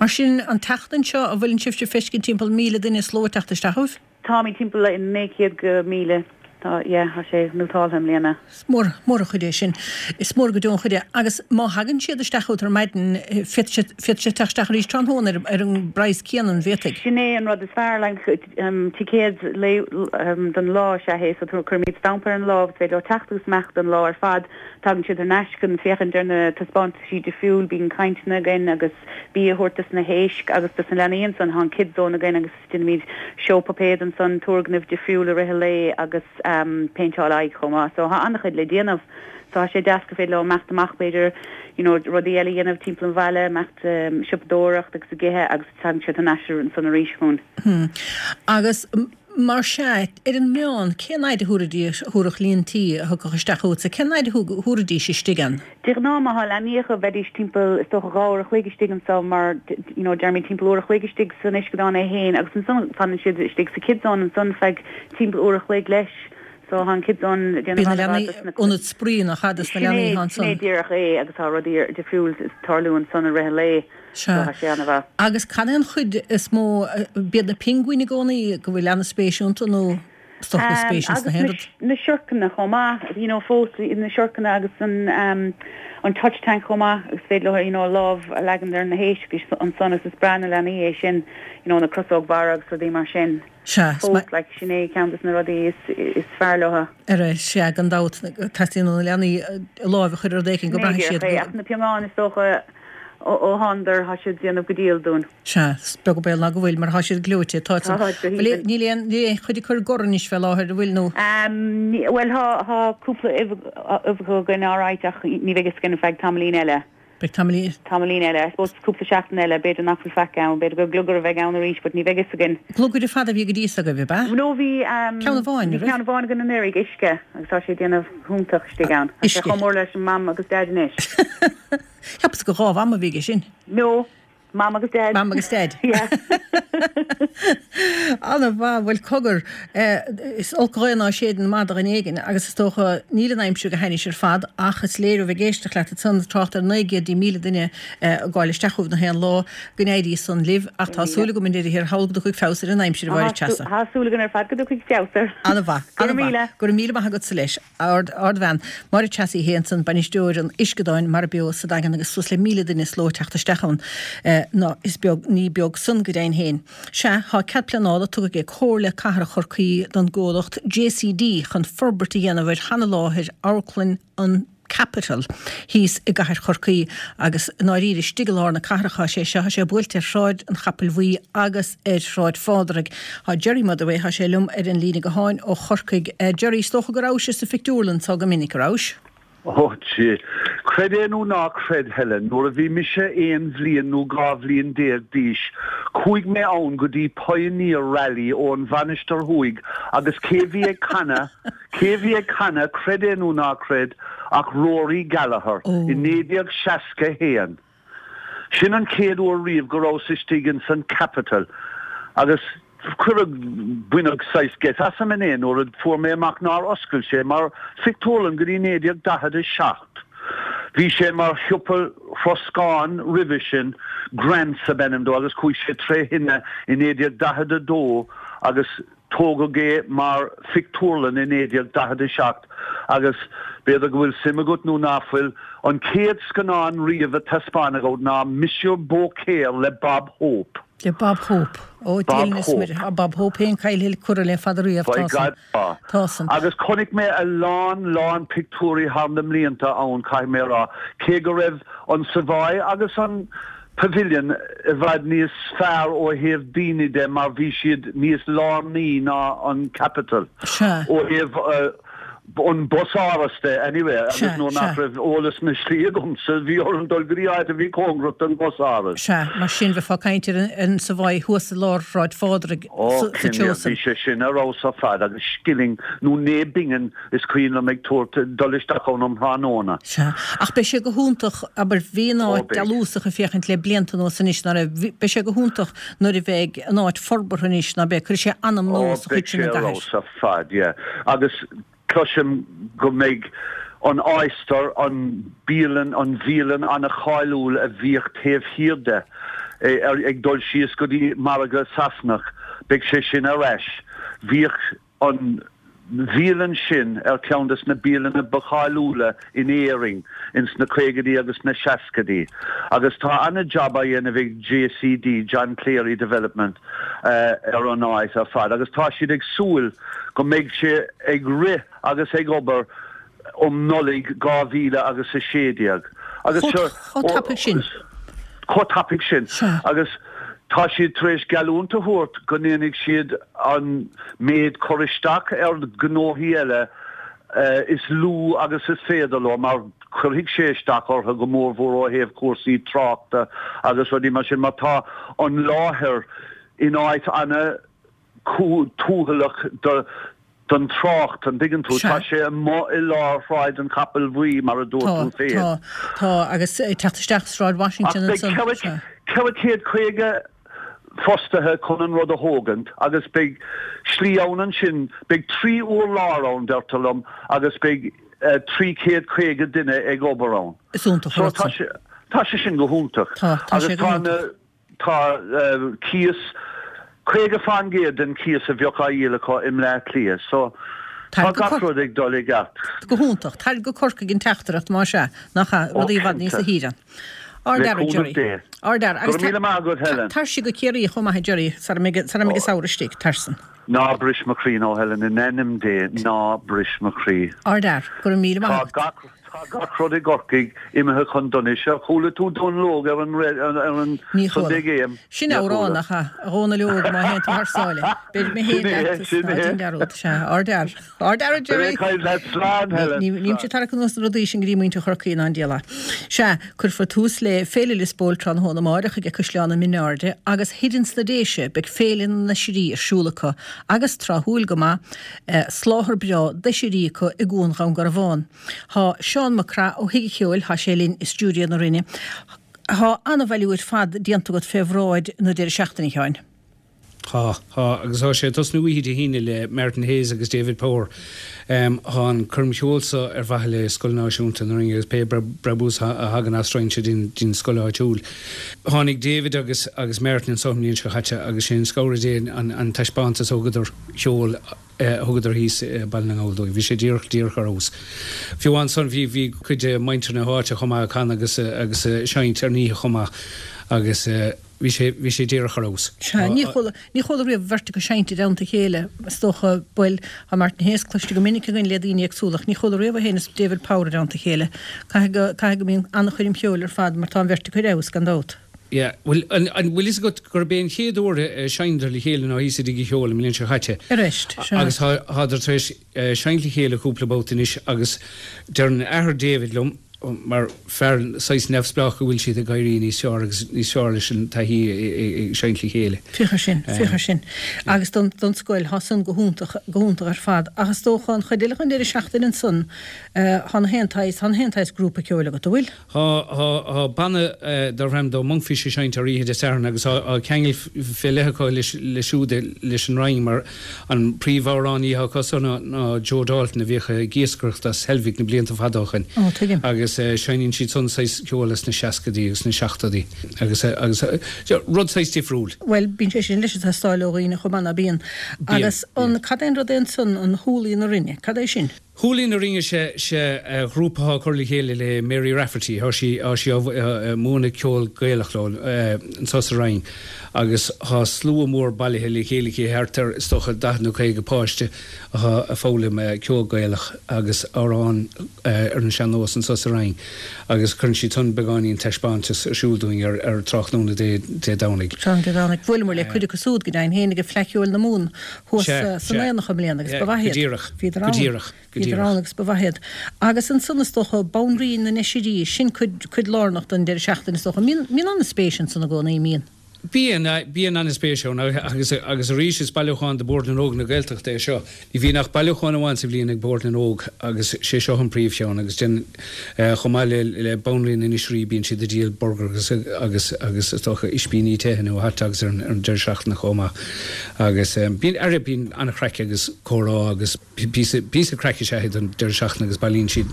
Mar sin an tseachtain seo an bhfuileann sibhse ag feiscint timpeall míle duine sa ló ag teacht isteach chugaibh? Táimid timpeall naoi gcéad go míle. Tá, yeah, tá sé nótáltha i mbliana. Is mór, mór an chuid é sin. Is mór go deo an chuid é. Agus má thagann siad isteach chugat ar maidin, féadfaidh siad, féadfaidh siad teacht isteach arís tráthnóna ar, ar an bpraghas céanna, an bhféadfaidh? Sin é an rud is fearr, like, ticéad lae, don lá is ea é, so cuirimid stampa ar an lámh, is féidir leo teacht agus imeacht don lá ar fad. Tagann siad thar n-ais chun féachaint ar na taispeántaisí difriúil, bíonn cainteanna againn agus bia a thabhairt dos na héisc agus dos na leanaí ansan, tá an Kids Zone againn agus. Déanaimid seó puipéad ansan, turgnaimh difriúil i rith an lae agus péinteáil aghaidh chomh maith. So tá an-chuid le déanamh. So tá sé deas gur féidir leo imeacht amach b'fhéidir you know rudaí eile a dhéanamh timpeall an bhaile, imeacht siopadóireacht agus ag ithe agus tagann siad thar n-ais ansan arís chugainn. Hmm. Agus mar sea, ar an meán, cén fhaid a thabharfaidís, thabharfadh líon tí a thiocfadh isteach chugatsa, cén fhaid a thabharfaidís istigh ann? De ghnáth má thá leanaí acu bheidís timpeall is dócha dhá uair a chloig istigh anso mar you know deirimid timpeall uair a chloig istigh san uisceadán é fhéin agus ansan fanann siad istigh sa kids zone ansan feadh timpeall uair a chloig leis so thá an kids zone ag Bíonn déanamh na an-mhaith leanaí, dos na ionad spraoi nach ea dos na Sin leanaí é athá sin é ansan. díreach é agus thá rudaí difriúil ag tarlú ansan i rith an lae so Sea. thá sé an-mhaith. Agus cad é an chuid is mó, b'iad na pinguin i gcónaí go bhfuil an-spéis iontu nó is dócha go bhfuil spéis ins Agus na haon rud? na siorcanna chomh maith, you know, fós na siorcanna agus an an touch tank chomh maith agus féidir leo, you know, lámh a leagan ar na héisc ansan agus is breá na leanaí é sin, you know, na crosóg mhara agus rudaí mar sin. Sea, Fós, like, sin é ceann des na rudaí is is fearr leo. Ara, sea, gan dabht, teastaíonn ó na leanaí a láimh a chur ar rud éicint go Sin é mbraithfidh díreach siad é, go. ach na piongáin is dócha Ó thánadar, thá siad déanamh go diail dúinn. Sea, is beag an baol ná go bhfuil, mar thá siad gleoite. Tá Tá, go Bhfuil, haoibhinn. níl aon, níl aon chuid acu ag gor anois fé láthair, an bhfuil, nó? Bhuel, thá, thá cúpla uibheacha againn alright ach ní bheidh fhios againn feadh tamaillín eile. Beidh tamaillín. Tamaillín eile, I suppose cúpla seachtain eile, b'fhéidir nach bhfuil faic ann, b'fhéidir gur glugaire a bheidh ann arís but ní bheidh fhios againn. Glugaire fada a bhí go dtí so agaibh, ab ea? No, bhí, Ceann amháin, bhí an raibh? ceann amháin againn anuraidh, Uisce, agus tá sé ag déanamh go hiontach istigh ann. Tá sé Uisce. chomh mór leis an mam agus daid anois. Cheapas gur dhá mham a bhí aige sin. No, Mam agus Daid. Mam agus Daid. Yeah. Ana mhaith, bhuel cogar, is olc an ghaoth ná séideann maith do dhuine éigin agus is dócha níl an aimsir go hainnis ar fad ach is léir ó bheith ag éisteacht leat ansan ag trácht ar naoi gcéad dtí míle duine ag gabháil isteach chugaibh na haon lá go n-éirí san libh ach tá súil agam i ndeireadh thiar thall go dtiocfaidh feabhas ar an aimsir a Mháire Treasa. Tá súil againn ar fad go dtiocfaidh feabhas air. Ana mhaith, Go ana raibh mhaith. míle. Go raibh míle maith agatsa leis. Ard, ardbhean. Máire Treasa Uí Shé ansan, bainisteoir an Uisceadáin, Mara Beo sa Daingean agus suas le míle duine sa ló ag teacht isteach ann. Ná is beag, ní beag san go deimhin féin. Sea, thá cead pleanála tugtha ag Comhairle Cathrach Chorcaí don gcomhlacht JCD chun forbairt a dhéanamh ar sheana-láthair Amharclann an Capitol thíos i gcathair Chorcaí agus i ndáiríre istigh i lár na cathrach thá sé seo, thá sé buailte ar Shráid an Chapaill Bhuí agus ar Shráid Phádraig. Thá Gerry Motherway, thá sé liom ar an líne gutháin ó Chorcaigh. Gerry, is dócha go rabhais sa phictiúrlann so go minic, a rabhais? Ó, sea. Creid é nó ná creid, Helen, nuair a bhí mise aon bhliain nó dhá bhliain déag d'aois, chuaigh mé ann go dtí Pioneer Rally ón Mhainistir Thuaidh agus cé bhí ag canadh, cé bhí ag canadh, creid é nó ná creid, ach Rory Gallagher i naoi déag seasca haon. Sin an chéad uair riamh go rabhas istigh ins an Capitol agus cuireadh, baineadh saghas geit asam inné nuair a fuair mé amach nár oscail sé mar phictiúrlann go dtí naoi déag daichead a seacht. Bhí sé mar shiopa troscáin roimhe sin, Grants ab ainm dó agus chuaigh sé tré thine i naoi déag daichead a dó agus Tógadh é mar phictiúrlann i naoi déag daichead a seacht agus, b'fhéidir go bhfuil suim agat nó ná fuil, an chéad scannán riamh a taispeánadh ann ná Monsieur Beaucaire le Bob Hope. Le Bob Hope. Ó, Bob Dia linn is Hope. Muire. Tá Bob Hope féin caillte curtha le fada riamh, By tá san. God, tá. Tá san. Agus chonaic mé a lán, lán pictiúirí thar na mblianta ann, caithfidh mé a rá, cé go raibh an Savoy agus an Pavilion i bhfad níos fearr ó thaobh daoine de mar bhí siad níos lárnaí ná an Capitol Sea. ó thaobh an busáras de anyway agus Sea, nuair nach sea. raibh eolas na slí agamsa bhí orm dul go dtí áit a bhí cóngarach don bhusáras. Sea, mar sin bheifeá ag caint ar an Savoy thuas i lár Shráid Phádraig Ó, sa cinnte, treo san. bhí sé sin ar fheabhas ar fad agus scilling nó naoi bpingin is cuimhin liom ag tabhairt dul isteach ann um thráthnóna. Sea, ach beidh sé go hiontach, abair, bhí an Ó, áit beidh. dealúsach ag féachaint le blianta anuas anois, ná raibh, bhí, beidh sé go hiontach nuair a bheidh an áit forbartha anois, ná beidh, cuirfidh sé anam Ó, nua sa beidh chuid sin sé den ar gcathair. fheabhas ar fad, yeah. Agus cloisim go mbeidh an Oyster, an bialann, an bhialann an-cháiliúil a bhíodh taobh thiar de, ar, ag dul síos go dtí Margadh Sasanach, beidh sé sin ar ais. Bhíodh an bhialann sin ar cheann des na bialanna ba cháiliúla in Éirinn ins na caogaidí agus na seascaidí agus tá ana-jab á dhéanamh ag JCD, John Cleary Development, ar an áit ar fad agus tá siad ag súil go mbeidh sé ag rith agus ag obair um Nollaig dhá mhíle agus a sé déag. Agus Chomh chomh tapaidh sin. Chomh tapaidh sin. Sea. Agus tá siad tar éis geallúint a thabhairt go ndéanfaidh siad an méid cur isteach ar ghnóthaí eile is lú agus is féidir leo mar cuirfidh sé isteach orthu go mórmhór ó thaobh cúrsaí tráchta agus rudaí mar sin mar tá an láthair in áit ana tuathalach do don trácht, an dtuigeann tú? Tá sé amuigh i lár Shráid an Chapaill Bhuí, mar a dúirt Tá, tú féin. tá, tá, agus ag teacht isteach Sráid Ach Washington beidh ansan, ceithre, sea. ceithre chéad caoga fostaithe chun an rud a thógaint agus beidh slí ann ansin, beidh trí urlár ann, deirtear liom, agus beidh trí chéad caoga duine ag obair ann. Is iontach an So rud tá san. sé, tá sé sin go hiontach. Tá, tá Agus sé go tá na, hiontach. Tá cíos caoga fán gcéad den cíos a bheadh á dhíol acu i mBleá Cliath so tá gach rud ag dul i gceart. Go hiontach. Tar go Corcaigh an teachtaireacht más ea, nach ea, rudaí i bhfad níos a thíre. Le Ardfhear, cúnamh Gerry. Dé. Ardfhear. Go raibh míle maith agat, Helen. Tar siar go Ciarraí chomh maith, a Gerry, sara mbeidh an samhradh istigh, tar san. Ná bris mo chroí now, Helen, in ainm Dé, ná bris mo chroí. Ardfhear. Go raibh míle maith Tá agat. gach Tá gach rud i gCorcaigh imithe chun donais. Ar chuala tú Dún Lóg ar an ar an Ní Sunday chuala. Game? Sin Níor amhrán chuala. nach ea? A Dhónaill Óg, má théann tú thar sáile. Beidh mé Sin féin é, leat is sin ná é. déan dearúd. Sea, ardfhear. Ardfhear, a Beidh mé Jerry. ag caint leat. Slán, Helen. Ní, nímse Slán. ag tarrac anuas na rudaí sin go dtí muintir Chorcaí ná an diabhal é. Sea, cuirfear tús le Féile Lios Póil tráthnóna amáireach aige Caisleán na Mionairde agus thoir ins na Déise beidh Féile na nOisrí ar siúl acu agus, tráthúil go maith, soláthar breá d'oisrí acu i gCuan Dhún Garbhán. Thá Seán Mac Craith ó Thigh an Cheoil, thá sé linn i stiúideo na Rinne. Thá an-bhailiú ar fad déanta agat fé bhráid na deireadh seachtaine, a Sheáin. Thá, thá, agus thá sé ag tosnú oíche Dé hAoine le Martin Hayes agus David Power. Thá an coirm cheoil so ar mhaithe le Scoil Náisiúnta na Rinne agus pé brabús a thagann as raghaidh sé dtí'n scoil áitiúil. Tháinig David agus agus Martin anso an bhliain seo chaite agus sé an scabhar Dé an an taispeántas a thugadar cheoil a thugadar thíos i Baile na nGall dúinn. Bhí sé díreach díreach ar fheabhas. Fiú ansan bhí bhí cuid de mhuintir na háite chomh maith ag canadh agus agus ag seinnt ar an oíche chomh maith. agus bhí sé bhí sé díreach ar fheabhas. Sea, ní chuala ní chuala riamh beirt acu seinnte i dteannta a chéile, is dócha, bhuel, tá Martin Hayes cloiste go minic againn le daoine éagsúla ach ní chuala riamh é féin is David Power i dteannta a chéile. Caithfidh go caithfidh go mbíonn an-choirm cheoil ar fad mar tá an bheirt acu ar fheabhas, gan dabht. Yeah, bhuel, an an bhfuil fhios agat gurb é an chéad uair a seinneadar le chéile ná thíos i dTigh an Cheoil an mbliain seo chaite. Arís, sea. Agus tá thádar tar éis seinnt le chéile cúpla babhta anois agus deireann athair David liom, mar fear saghas neamhspleách go bhfuil siad ag éirí níos fearr agus níos fearr leis an taithí ag seinnt le chéile. Féach ar sin, féach ar sin. Agus don don scoil, thá san go hiontach, go hiontach ar fad. Ach is dócha an chuid eile den deireadh seachtaine ansan, thá na haon tsaghas, thá na haon tsaghas grúpa ceoil agat, an bhfuil? Thá, thá, thá banna darb ainm dó Monkfish ag seinnt ar oíche Dé Sathairn agus thá, thá ceangal fé leith acu leis, leis siúd, leis an Rinn mar an príomhamhránaí athá acu san ná, ná Joe Dalton a bhíodh ag iascaireacht as Heilbhic na blianta fada ó shoin. Ó, tuigim. Agus seinneann siad san saghas ceoil as na seascaidí agus na seachtóidí agus, agus rud saghas difriúil. Bhuel, bíonn sé sin leis ag teastáil ó dhaoine chomh maith, ná bíonn? Bíonn, Agus an, bíonn. cad é an rud é ansan, an Húlaí na Rinne, cad é sin? Húlaí na Rinne, sé, sé ghrúpa athá curtha le chéile le Mary Rafferty, thá sí, thá sí á múineadh ceol Gaelach leo anso sa Rinn agus thá slua mór bailithe le chéile aici, thart ar, is dócha, daichead nó caoga páiste athá ag foghlaim ceol Gaelach agus amhráin ar an sean-nós anso sa Rinn agus cuireann siad san beagáinín taispeántas ar siúl dúinn ar ar tráthnóna Dé Dé Domhnaigh. Tráthnóna Dé Domhnaigh. Bhuaileamar le cuid acu súd go deimhin féin ag Fleadh Cheoil na Mumhan thuas Sea, san sea. Aonach i mbliana agus Yeah, ba mhaith go iad. díreach, Bhíodar go ann. díreach, go Bhíodar díreach. ann agus ba mhaith iad. Agus ansan is dócha Banríon na nOisrí, sin cuid cuid lárnach den deireadh seachtaine is dócha. Mbíonn mbíonn an-spéis ansan i gcónaí, mbíonn? Bíonn, bíonn an-spéis ann agus agus arís is bailiúchán do Bhord na nÓg na Gaeltachta é seo. Ní bhíonn ach bailiúchán amháin sa bhliain ag Bord na nÓg agus sé seo an príomhcheann agus den chomh maith le le Banríon na nOisrí bíonn siad ag díol burgar agus agus agus is dócha ispíní te nó hot dogs ar an ar an deireadh seachtaine chomh maith. Agus bíonn aire bíonn an-chraic agus comhrá agus píosa píosa craic is ea é don deireadh seachtaine agus bailíonn siad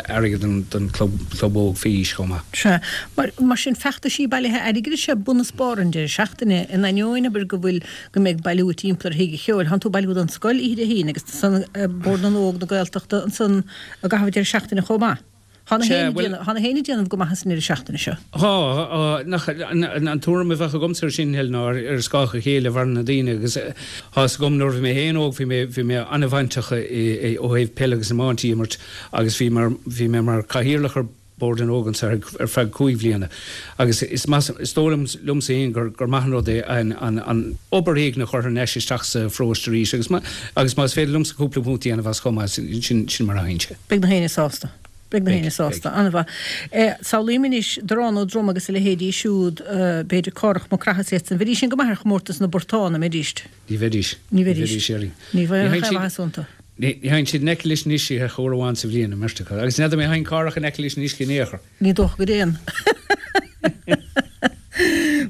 airgead don don club club óg faoi aois chomh maith. Sea. Mar mar sin feachtaisí bailithe airgid is ea bun is barr an deireadh seachtaine in ainneoin abair go bhfuil go mbeidh bailiú timpeall ar thigh an cheoil. Thánn tú ag bailiú don scoil oíche Dé hAoine agus ansan Bord na nÓg na Gaeltachta ansan i gcaitheamh an deireadh seachtaine chomh maith. Thá na Sea, héinne bhuel. déanamh, thá na héinne déanamh go maith as an ndeireadh seachtaine seo. Thá, thá, nach, an, an tuairim a bheadh agamsa ar sin, Helen, ná ar, ar scáth a chéile a mhaireann na daoine agus thá 'fhios agam nuair a bhí mé féin óg bhí mé, bhí mé an-bhainteach i, i, ó thaobh peile agus iomáint a imirt agus bhí mar, bhí mé mar cathaoirleach ar Bord na nÓg anso ar, ar feadh cúig bhliana agus is maith, is dóigh liom, liomsa féin gur, gur maith an rud é an, an, an obair éigin a chur thar n-ais isteach sa pharóiste arís agus má, agus más féidir liomsa cúpla punt a dhéanamh as chomh maith, sin, sin mar a théann sé. Beidh na héinne sásta. Beidh na Beidh, héinne beidh. sásta. An-mhaith. Eh, Samhlaím anois Dorán Ó Droma agus a leithéidí siúd, eh, b'fhéidir Cárthach Mac Craith is iad san. Bheidís sin go maith ar chomórtas na bportán, an mbeidís? Ní bheidís. Ní Ní bheidís. bheidís, Sherry. Ní Ní bheadh théann aon siad, mhaitheas iontu. ní, ní théann siad in aice leis an uisce ach uair amháin sa bhliain, an mbeirt acu. Agus n'fheadar an dtéann Cárthach in aice leis an uisce in aon chor. Ní dócha go dtéann.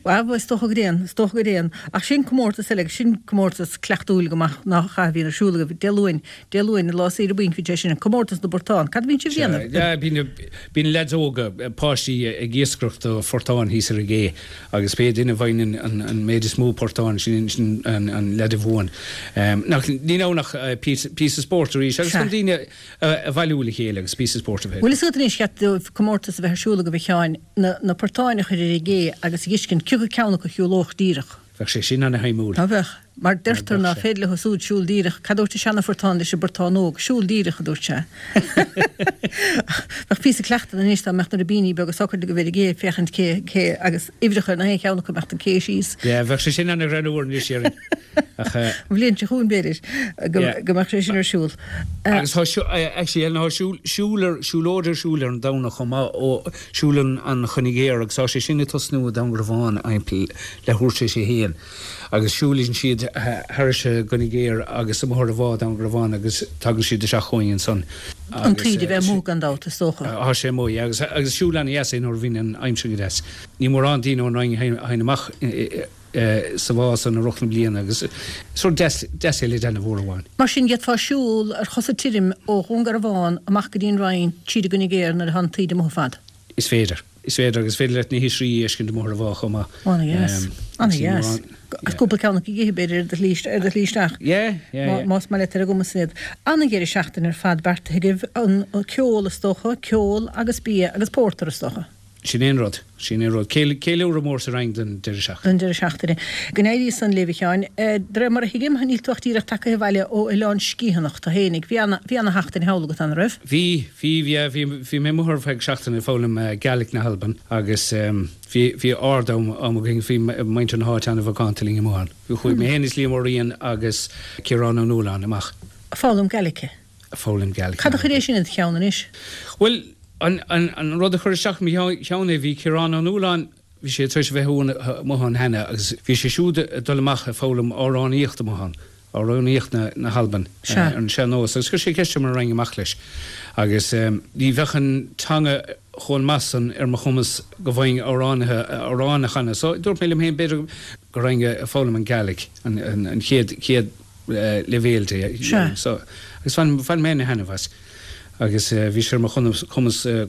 Bhuel, is dócha go dtéann, is dócha go dtéann. Ach sin comórtas eile, agus sin comórtas cleachtúil go maith nach ea, a bhíonn ar siúl agaibh Dé Luain, Dé Luain, lá saoire bainc, bhí sé sin, comórtas na bportán. Cad a bhíonn sibh a Sea, dhéanamh? yeah, bíonn, bíonn leaids óga, páistí ag iascaireacht do phortáin thíos ar an gcé agus pé duine a bhaineann an, an méid is mó portán, sin, sin an, an leaid a bhuann. Um, nach, níl ann ach eh, píosa, píosa spóirt arís agus Sea. chun daoine a, a bhailiú le chéile agus píosa spóirt a bheith. Bhfuil fhios agat anois cheart dóibh comórtas a bheith ar siúl agaibh a Sheáin, na, na portáin a chur ar an gcé agus a fheiscint cioca ceann acu a shiúlódh díreach. Bheadh sé sin ana-shuimiúil. Ná beadh? Mar Ná deirtear beadh ná sé. féidir leo súd siúl díreach. Cad dúirt an seana-phortán leis an bportán óg? Siúl díreach, a dúirt sé. Bheadh píosa cleachtaidh anois dá mbeadh na ribíní beaga socair agaibh ar an gcé féachaint cé, cé agus uimhreacha ar na haon cheann acu imeacht an cé síos. Yeah, bheadh sé sin ana-ghreannmhar anois, Sharon. Ach, eh, An bhliain seo chugainn b'fhéidir go, yeah. go mbeadh sé sin ar siúl. Eh, Agus tá siú- eh, actually, Ellen, tá siúl, siúl ar, siúlóid ar siúl ar an Domhnach chomh maith ó siúl an, an Choinnigh Ghéar agus tá sé sin ag tosnú i Dún Garbhán timpeall leathuair tar éis a haon. Agus siúlann siad thairis an gCoinnigh Géar agus amuigh ar an bhá Dún Garbhán agus tagann siad isteach chugainn ansan. An Agus taoide eh, bheith amuigh gan dabht is dócha. Tá sé amuigh agus agus siúl ana-dheas é nuair a bhíonn an aimsir go deas. Ní mórán daoine ón Rinn a théann amach sa bhá san i rith na bliana agus sórt deas deas é le déanamh uair amháin. Mar sin d'fhéadfá siúl ar chosa tirim ó Dhún Garbhán amach go dtí an Rinn tríd an gCoinnigh Géar nuair atá an taoide amuigh ar fad. Is féidir. Is féidir agus féidir leat na hoisrí a fheiscint amuigh ar an bhá chomh maith. Ana-dheas. Agus ní Ana-dheas. mórán Agus cúpla ceann acu a ithe b'fhéidir ar do shlí ar do shlí isteach. Yeah, yeah, yeah. Más maith leat ar a gcumas iad. Ana-dheireadh seachtaine ar fad beartaithe agaibh, an ceol is dócha, ceol agus bia agus pórtar is dócha. Sin é an rud, sin é an rud. Ceiliúradh mór sa Rinn don deireadh seachtaine. Don deireadh seachtaine. Go n-éirí san libh, a Sheáin. De réir mar a thuigim, níl tú ach díreach tagtha abhaile ó Oileán Sgitheanach tú fhéinig. Bhí ana, bhí ana sheachtain thall agat, an raibh? Bhí, bhí, yeah, bhí, bhí mé amuigh ar feadh seachtaine ag foghlaim Gaelic na hAlban agus bhí, bhí ard-am am againn, bhí muintir na háite an-mhacánta linn amuigh ann. Chuaigh mé féin is Liam Ó Riain agus Ciarán Ó Nualláin amach. Ag foghlaim Gaeilge? Ag foghlaim Gaelic. Cad a chuir é sin i do cheann anois? Bhuel, an, an, an rud a chuir isteach i mo cheann é, bhí Ciarán Ó Nualláin, bhí sé tar éis a bheith amuigh ann cheana agus bhí sé siúd ag dul amach ag foghlaim amhránaíocht amuigh ann, amhránaíocht na, na hAlban, Sea. ar an sean-nós agus chuir sé ceist orm an raghainn amach leis agus ní bheadh an teanga chomh maith san ar mo chumas go bhfaighinn amhránaithe, amhráin a chanadh. So dúirt mé liom féin b'fhéidir go raghainn ag foghlaim an Gaelic, an, an, an chéad, chéad leibhéal de. Sea. So, agus bhain, bhain mé ana-thaitneamh as. Agus bhí sé ar mo chumas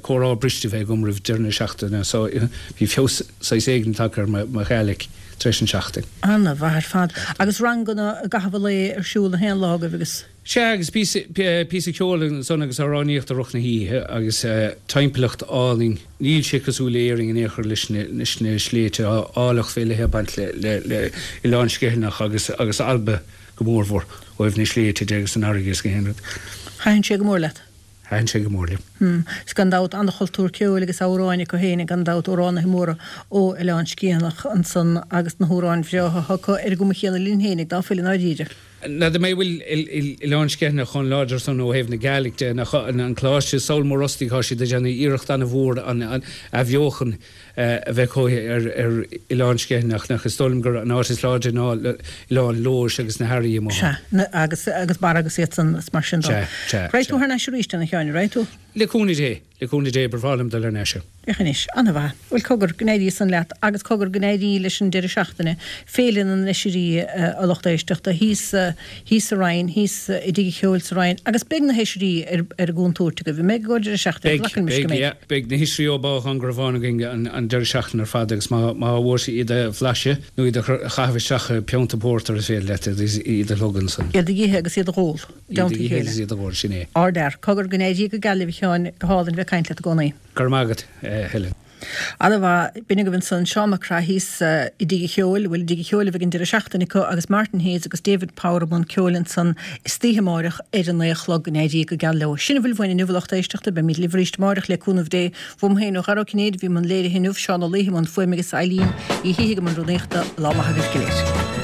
comhrá briste a bheith agam roimh deireadh na seachtaine so bhí feabhas saghas éigin tagtha ar mo Ghaelic tar éis an seachtain. Ana mhaith ar fad. Agus ranganna i gcaitheamh an lae ar siúl na haon lá agaibh agus. Sea, agus píosa, píosa ceoil ansan agus amhránaíocht i rith na hoíche agus timpeallacht álainn. Níl sé cosúil le Éirinn in aon chor leis na, leis na sléibhte. Tá áilleacht fé leith ag baint le, le, le Oileán Sgitheanach agus, agus Alba go mórmhór ó thaobh na sléibhte de agus an fharraige is gach aon rud. Thaitin sé go mór leat? Thaitin sé go mór liom. Hmm. Is gan dabht an-chultúr ceoil agus amhráin acu féin, gan dabht amhránaithe móra ó Oileán Sgitheanach ansan agus na hamhráin bhreátha acu ar an gcuma chéanna linn féinig dá fuil i ndáiríre. N'fheadar mé an bhfuil Oileán Sgitheanach chomh láidir san ó thaobh na Gaelic de, nach an Coláiste Sabhal Mór Ostaig tá siad ag déanamh iarracht an-mhór an athbheochan a bheith acu ar Oileán Sgitheanach, nach is dóigh liom gur an áit is láidre ná Oileán Leodhais agus na hEarraí amuigh Sea, ann. agus agus Barra agus iad san is mar sin dó. Sea, sea, Raghaidh tú sea. thar n-ais arís, a Sheáin, raghaidh tú? Le cúnamh Dé, le cúnamh Dé, ba bhreá liom dul thar n-ais. Féach anois, an-mhaith. Bhuel, cogar, go n-éirí san leat agus cogar, go n-éirí leis an deireadh seachtaine, Féile na nOisrí, a lucht éisteachta, thíos, thíos sa Rinn, thíos i dTigh an Cheoil sa Rinn, agus beidh na hOisrí ar, ar an gcontúirt agaibh. An mbeidh ag deireadh seachtaine? Beidh, Glacann mise go beidh, mbeidh. yeah. Beidh na hOisrí ó Bádh Gharbháin againn an, an deireadh seachtaine ar fad agus má, má bhfuair sí iad a bhlaiseadh nó iad a chaitheamh isteach i bpionta pórtair is féidir leat iad, iad a shlogadh ansan. Iad a dh'ithe agus iad a dh'ól, i Iad a dteannta a dh'ithe chéile. agus iad a dh'ól, sin é. Ardfhear. Cogar, go n-éirí go geal libh, a Sheáin, go hálainn bheith ag caint leat i gcónaí. Go raibh maith agat, Helen. Ana-mhaith. B'in agaibh ansan Seán Mac Craith thíos i dTigh an Cheoil, bhuel i dTigh an Cheoil a bheidh an deireadh seachtaine acu agus Martin Hayes agus David Power i mbun ceoil ansan istoíche amáireach ar a naoi a chlog. Go n-éirí go geal leo. Sin a bhfuil uainn inniu a lucht éisteachta. Beimid libh arís amáireach le cúnamh Dé. Uaim féin ó Dhara Ó Cinnéide a bhí i mbun léirithe inniu, Seán Ó Laoithe i mbun fuaime agus Eileen Uí Shíthigh i mbun rúnaíochta. Lá maith agaibh go léir.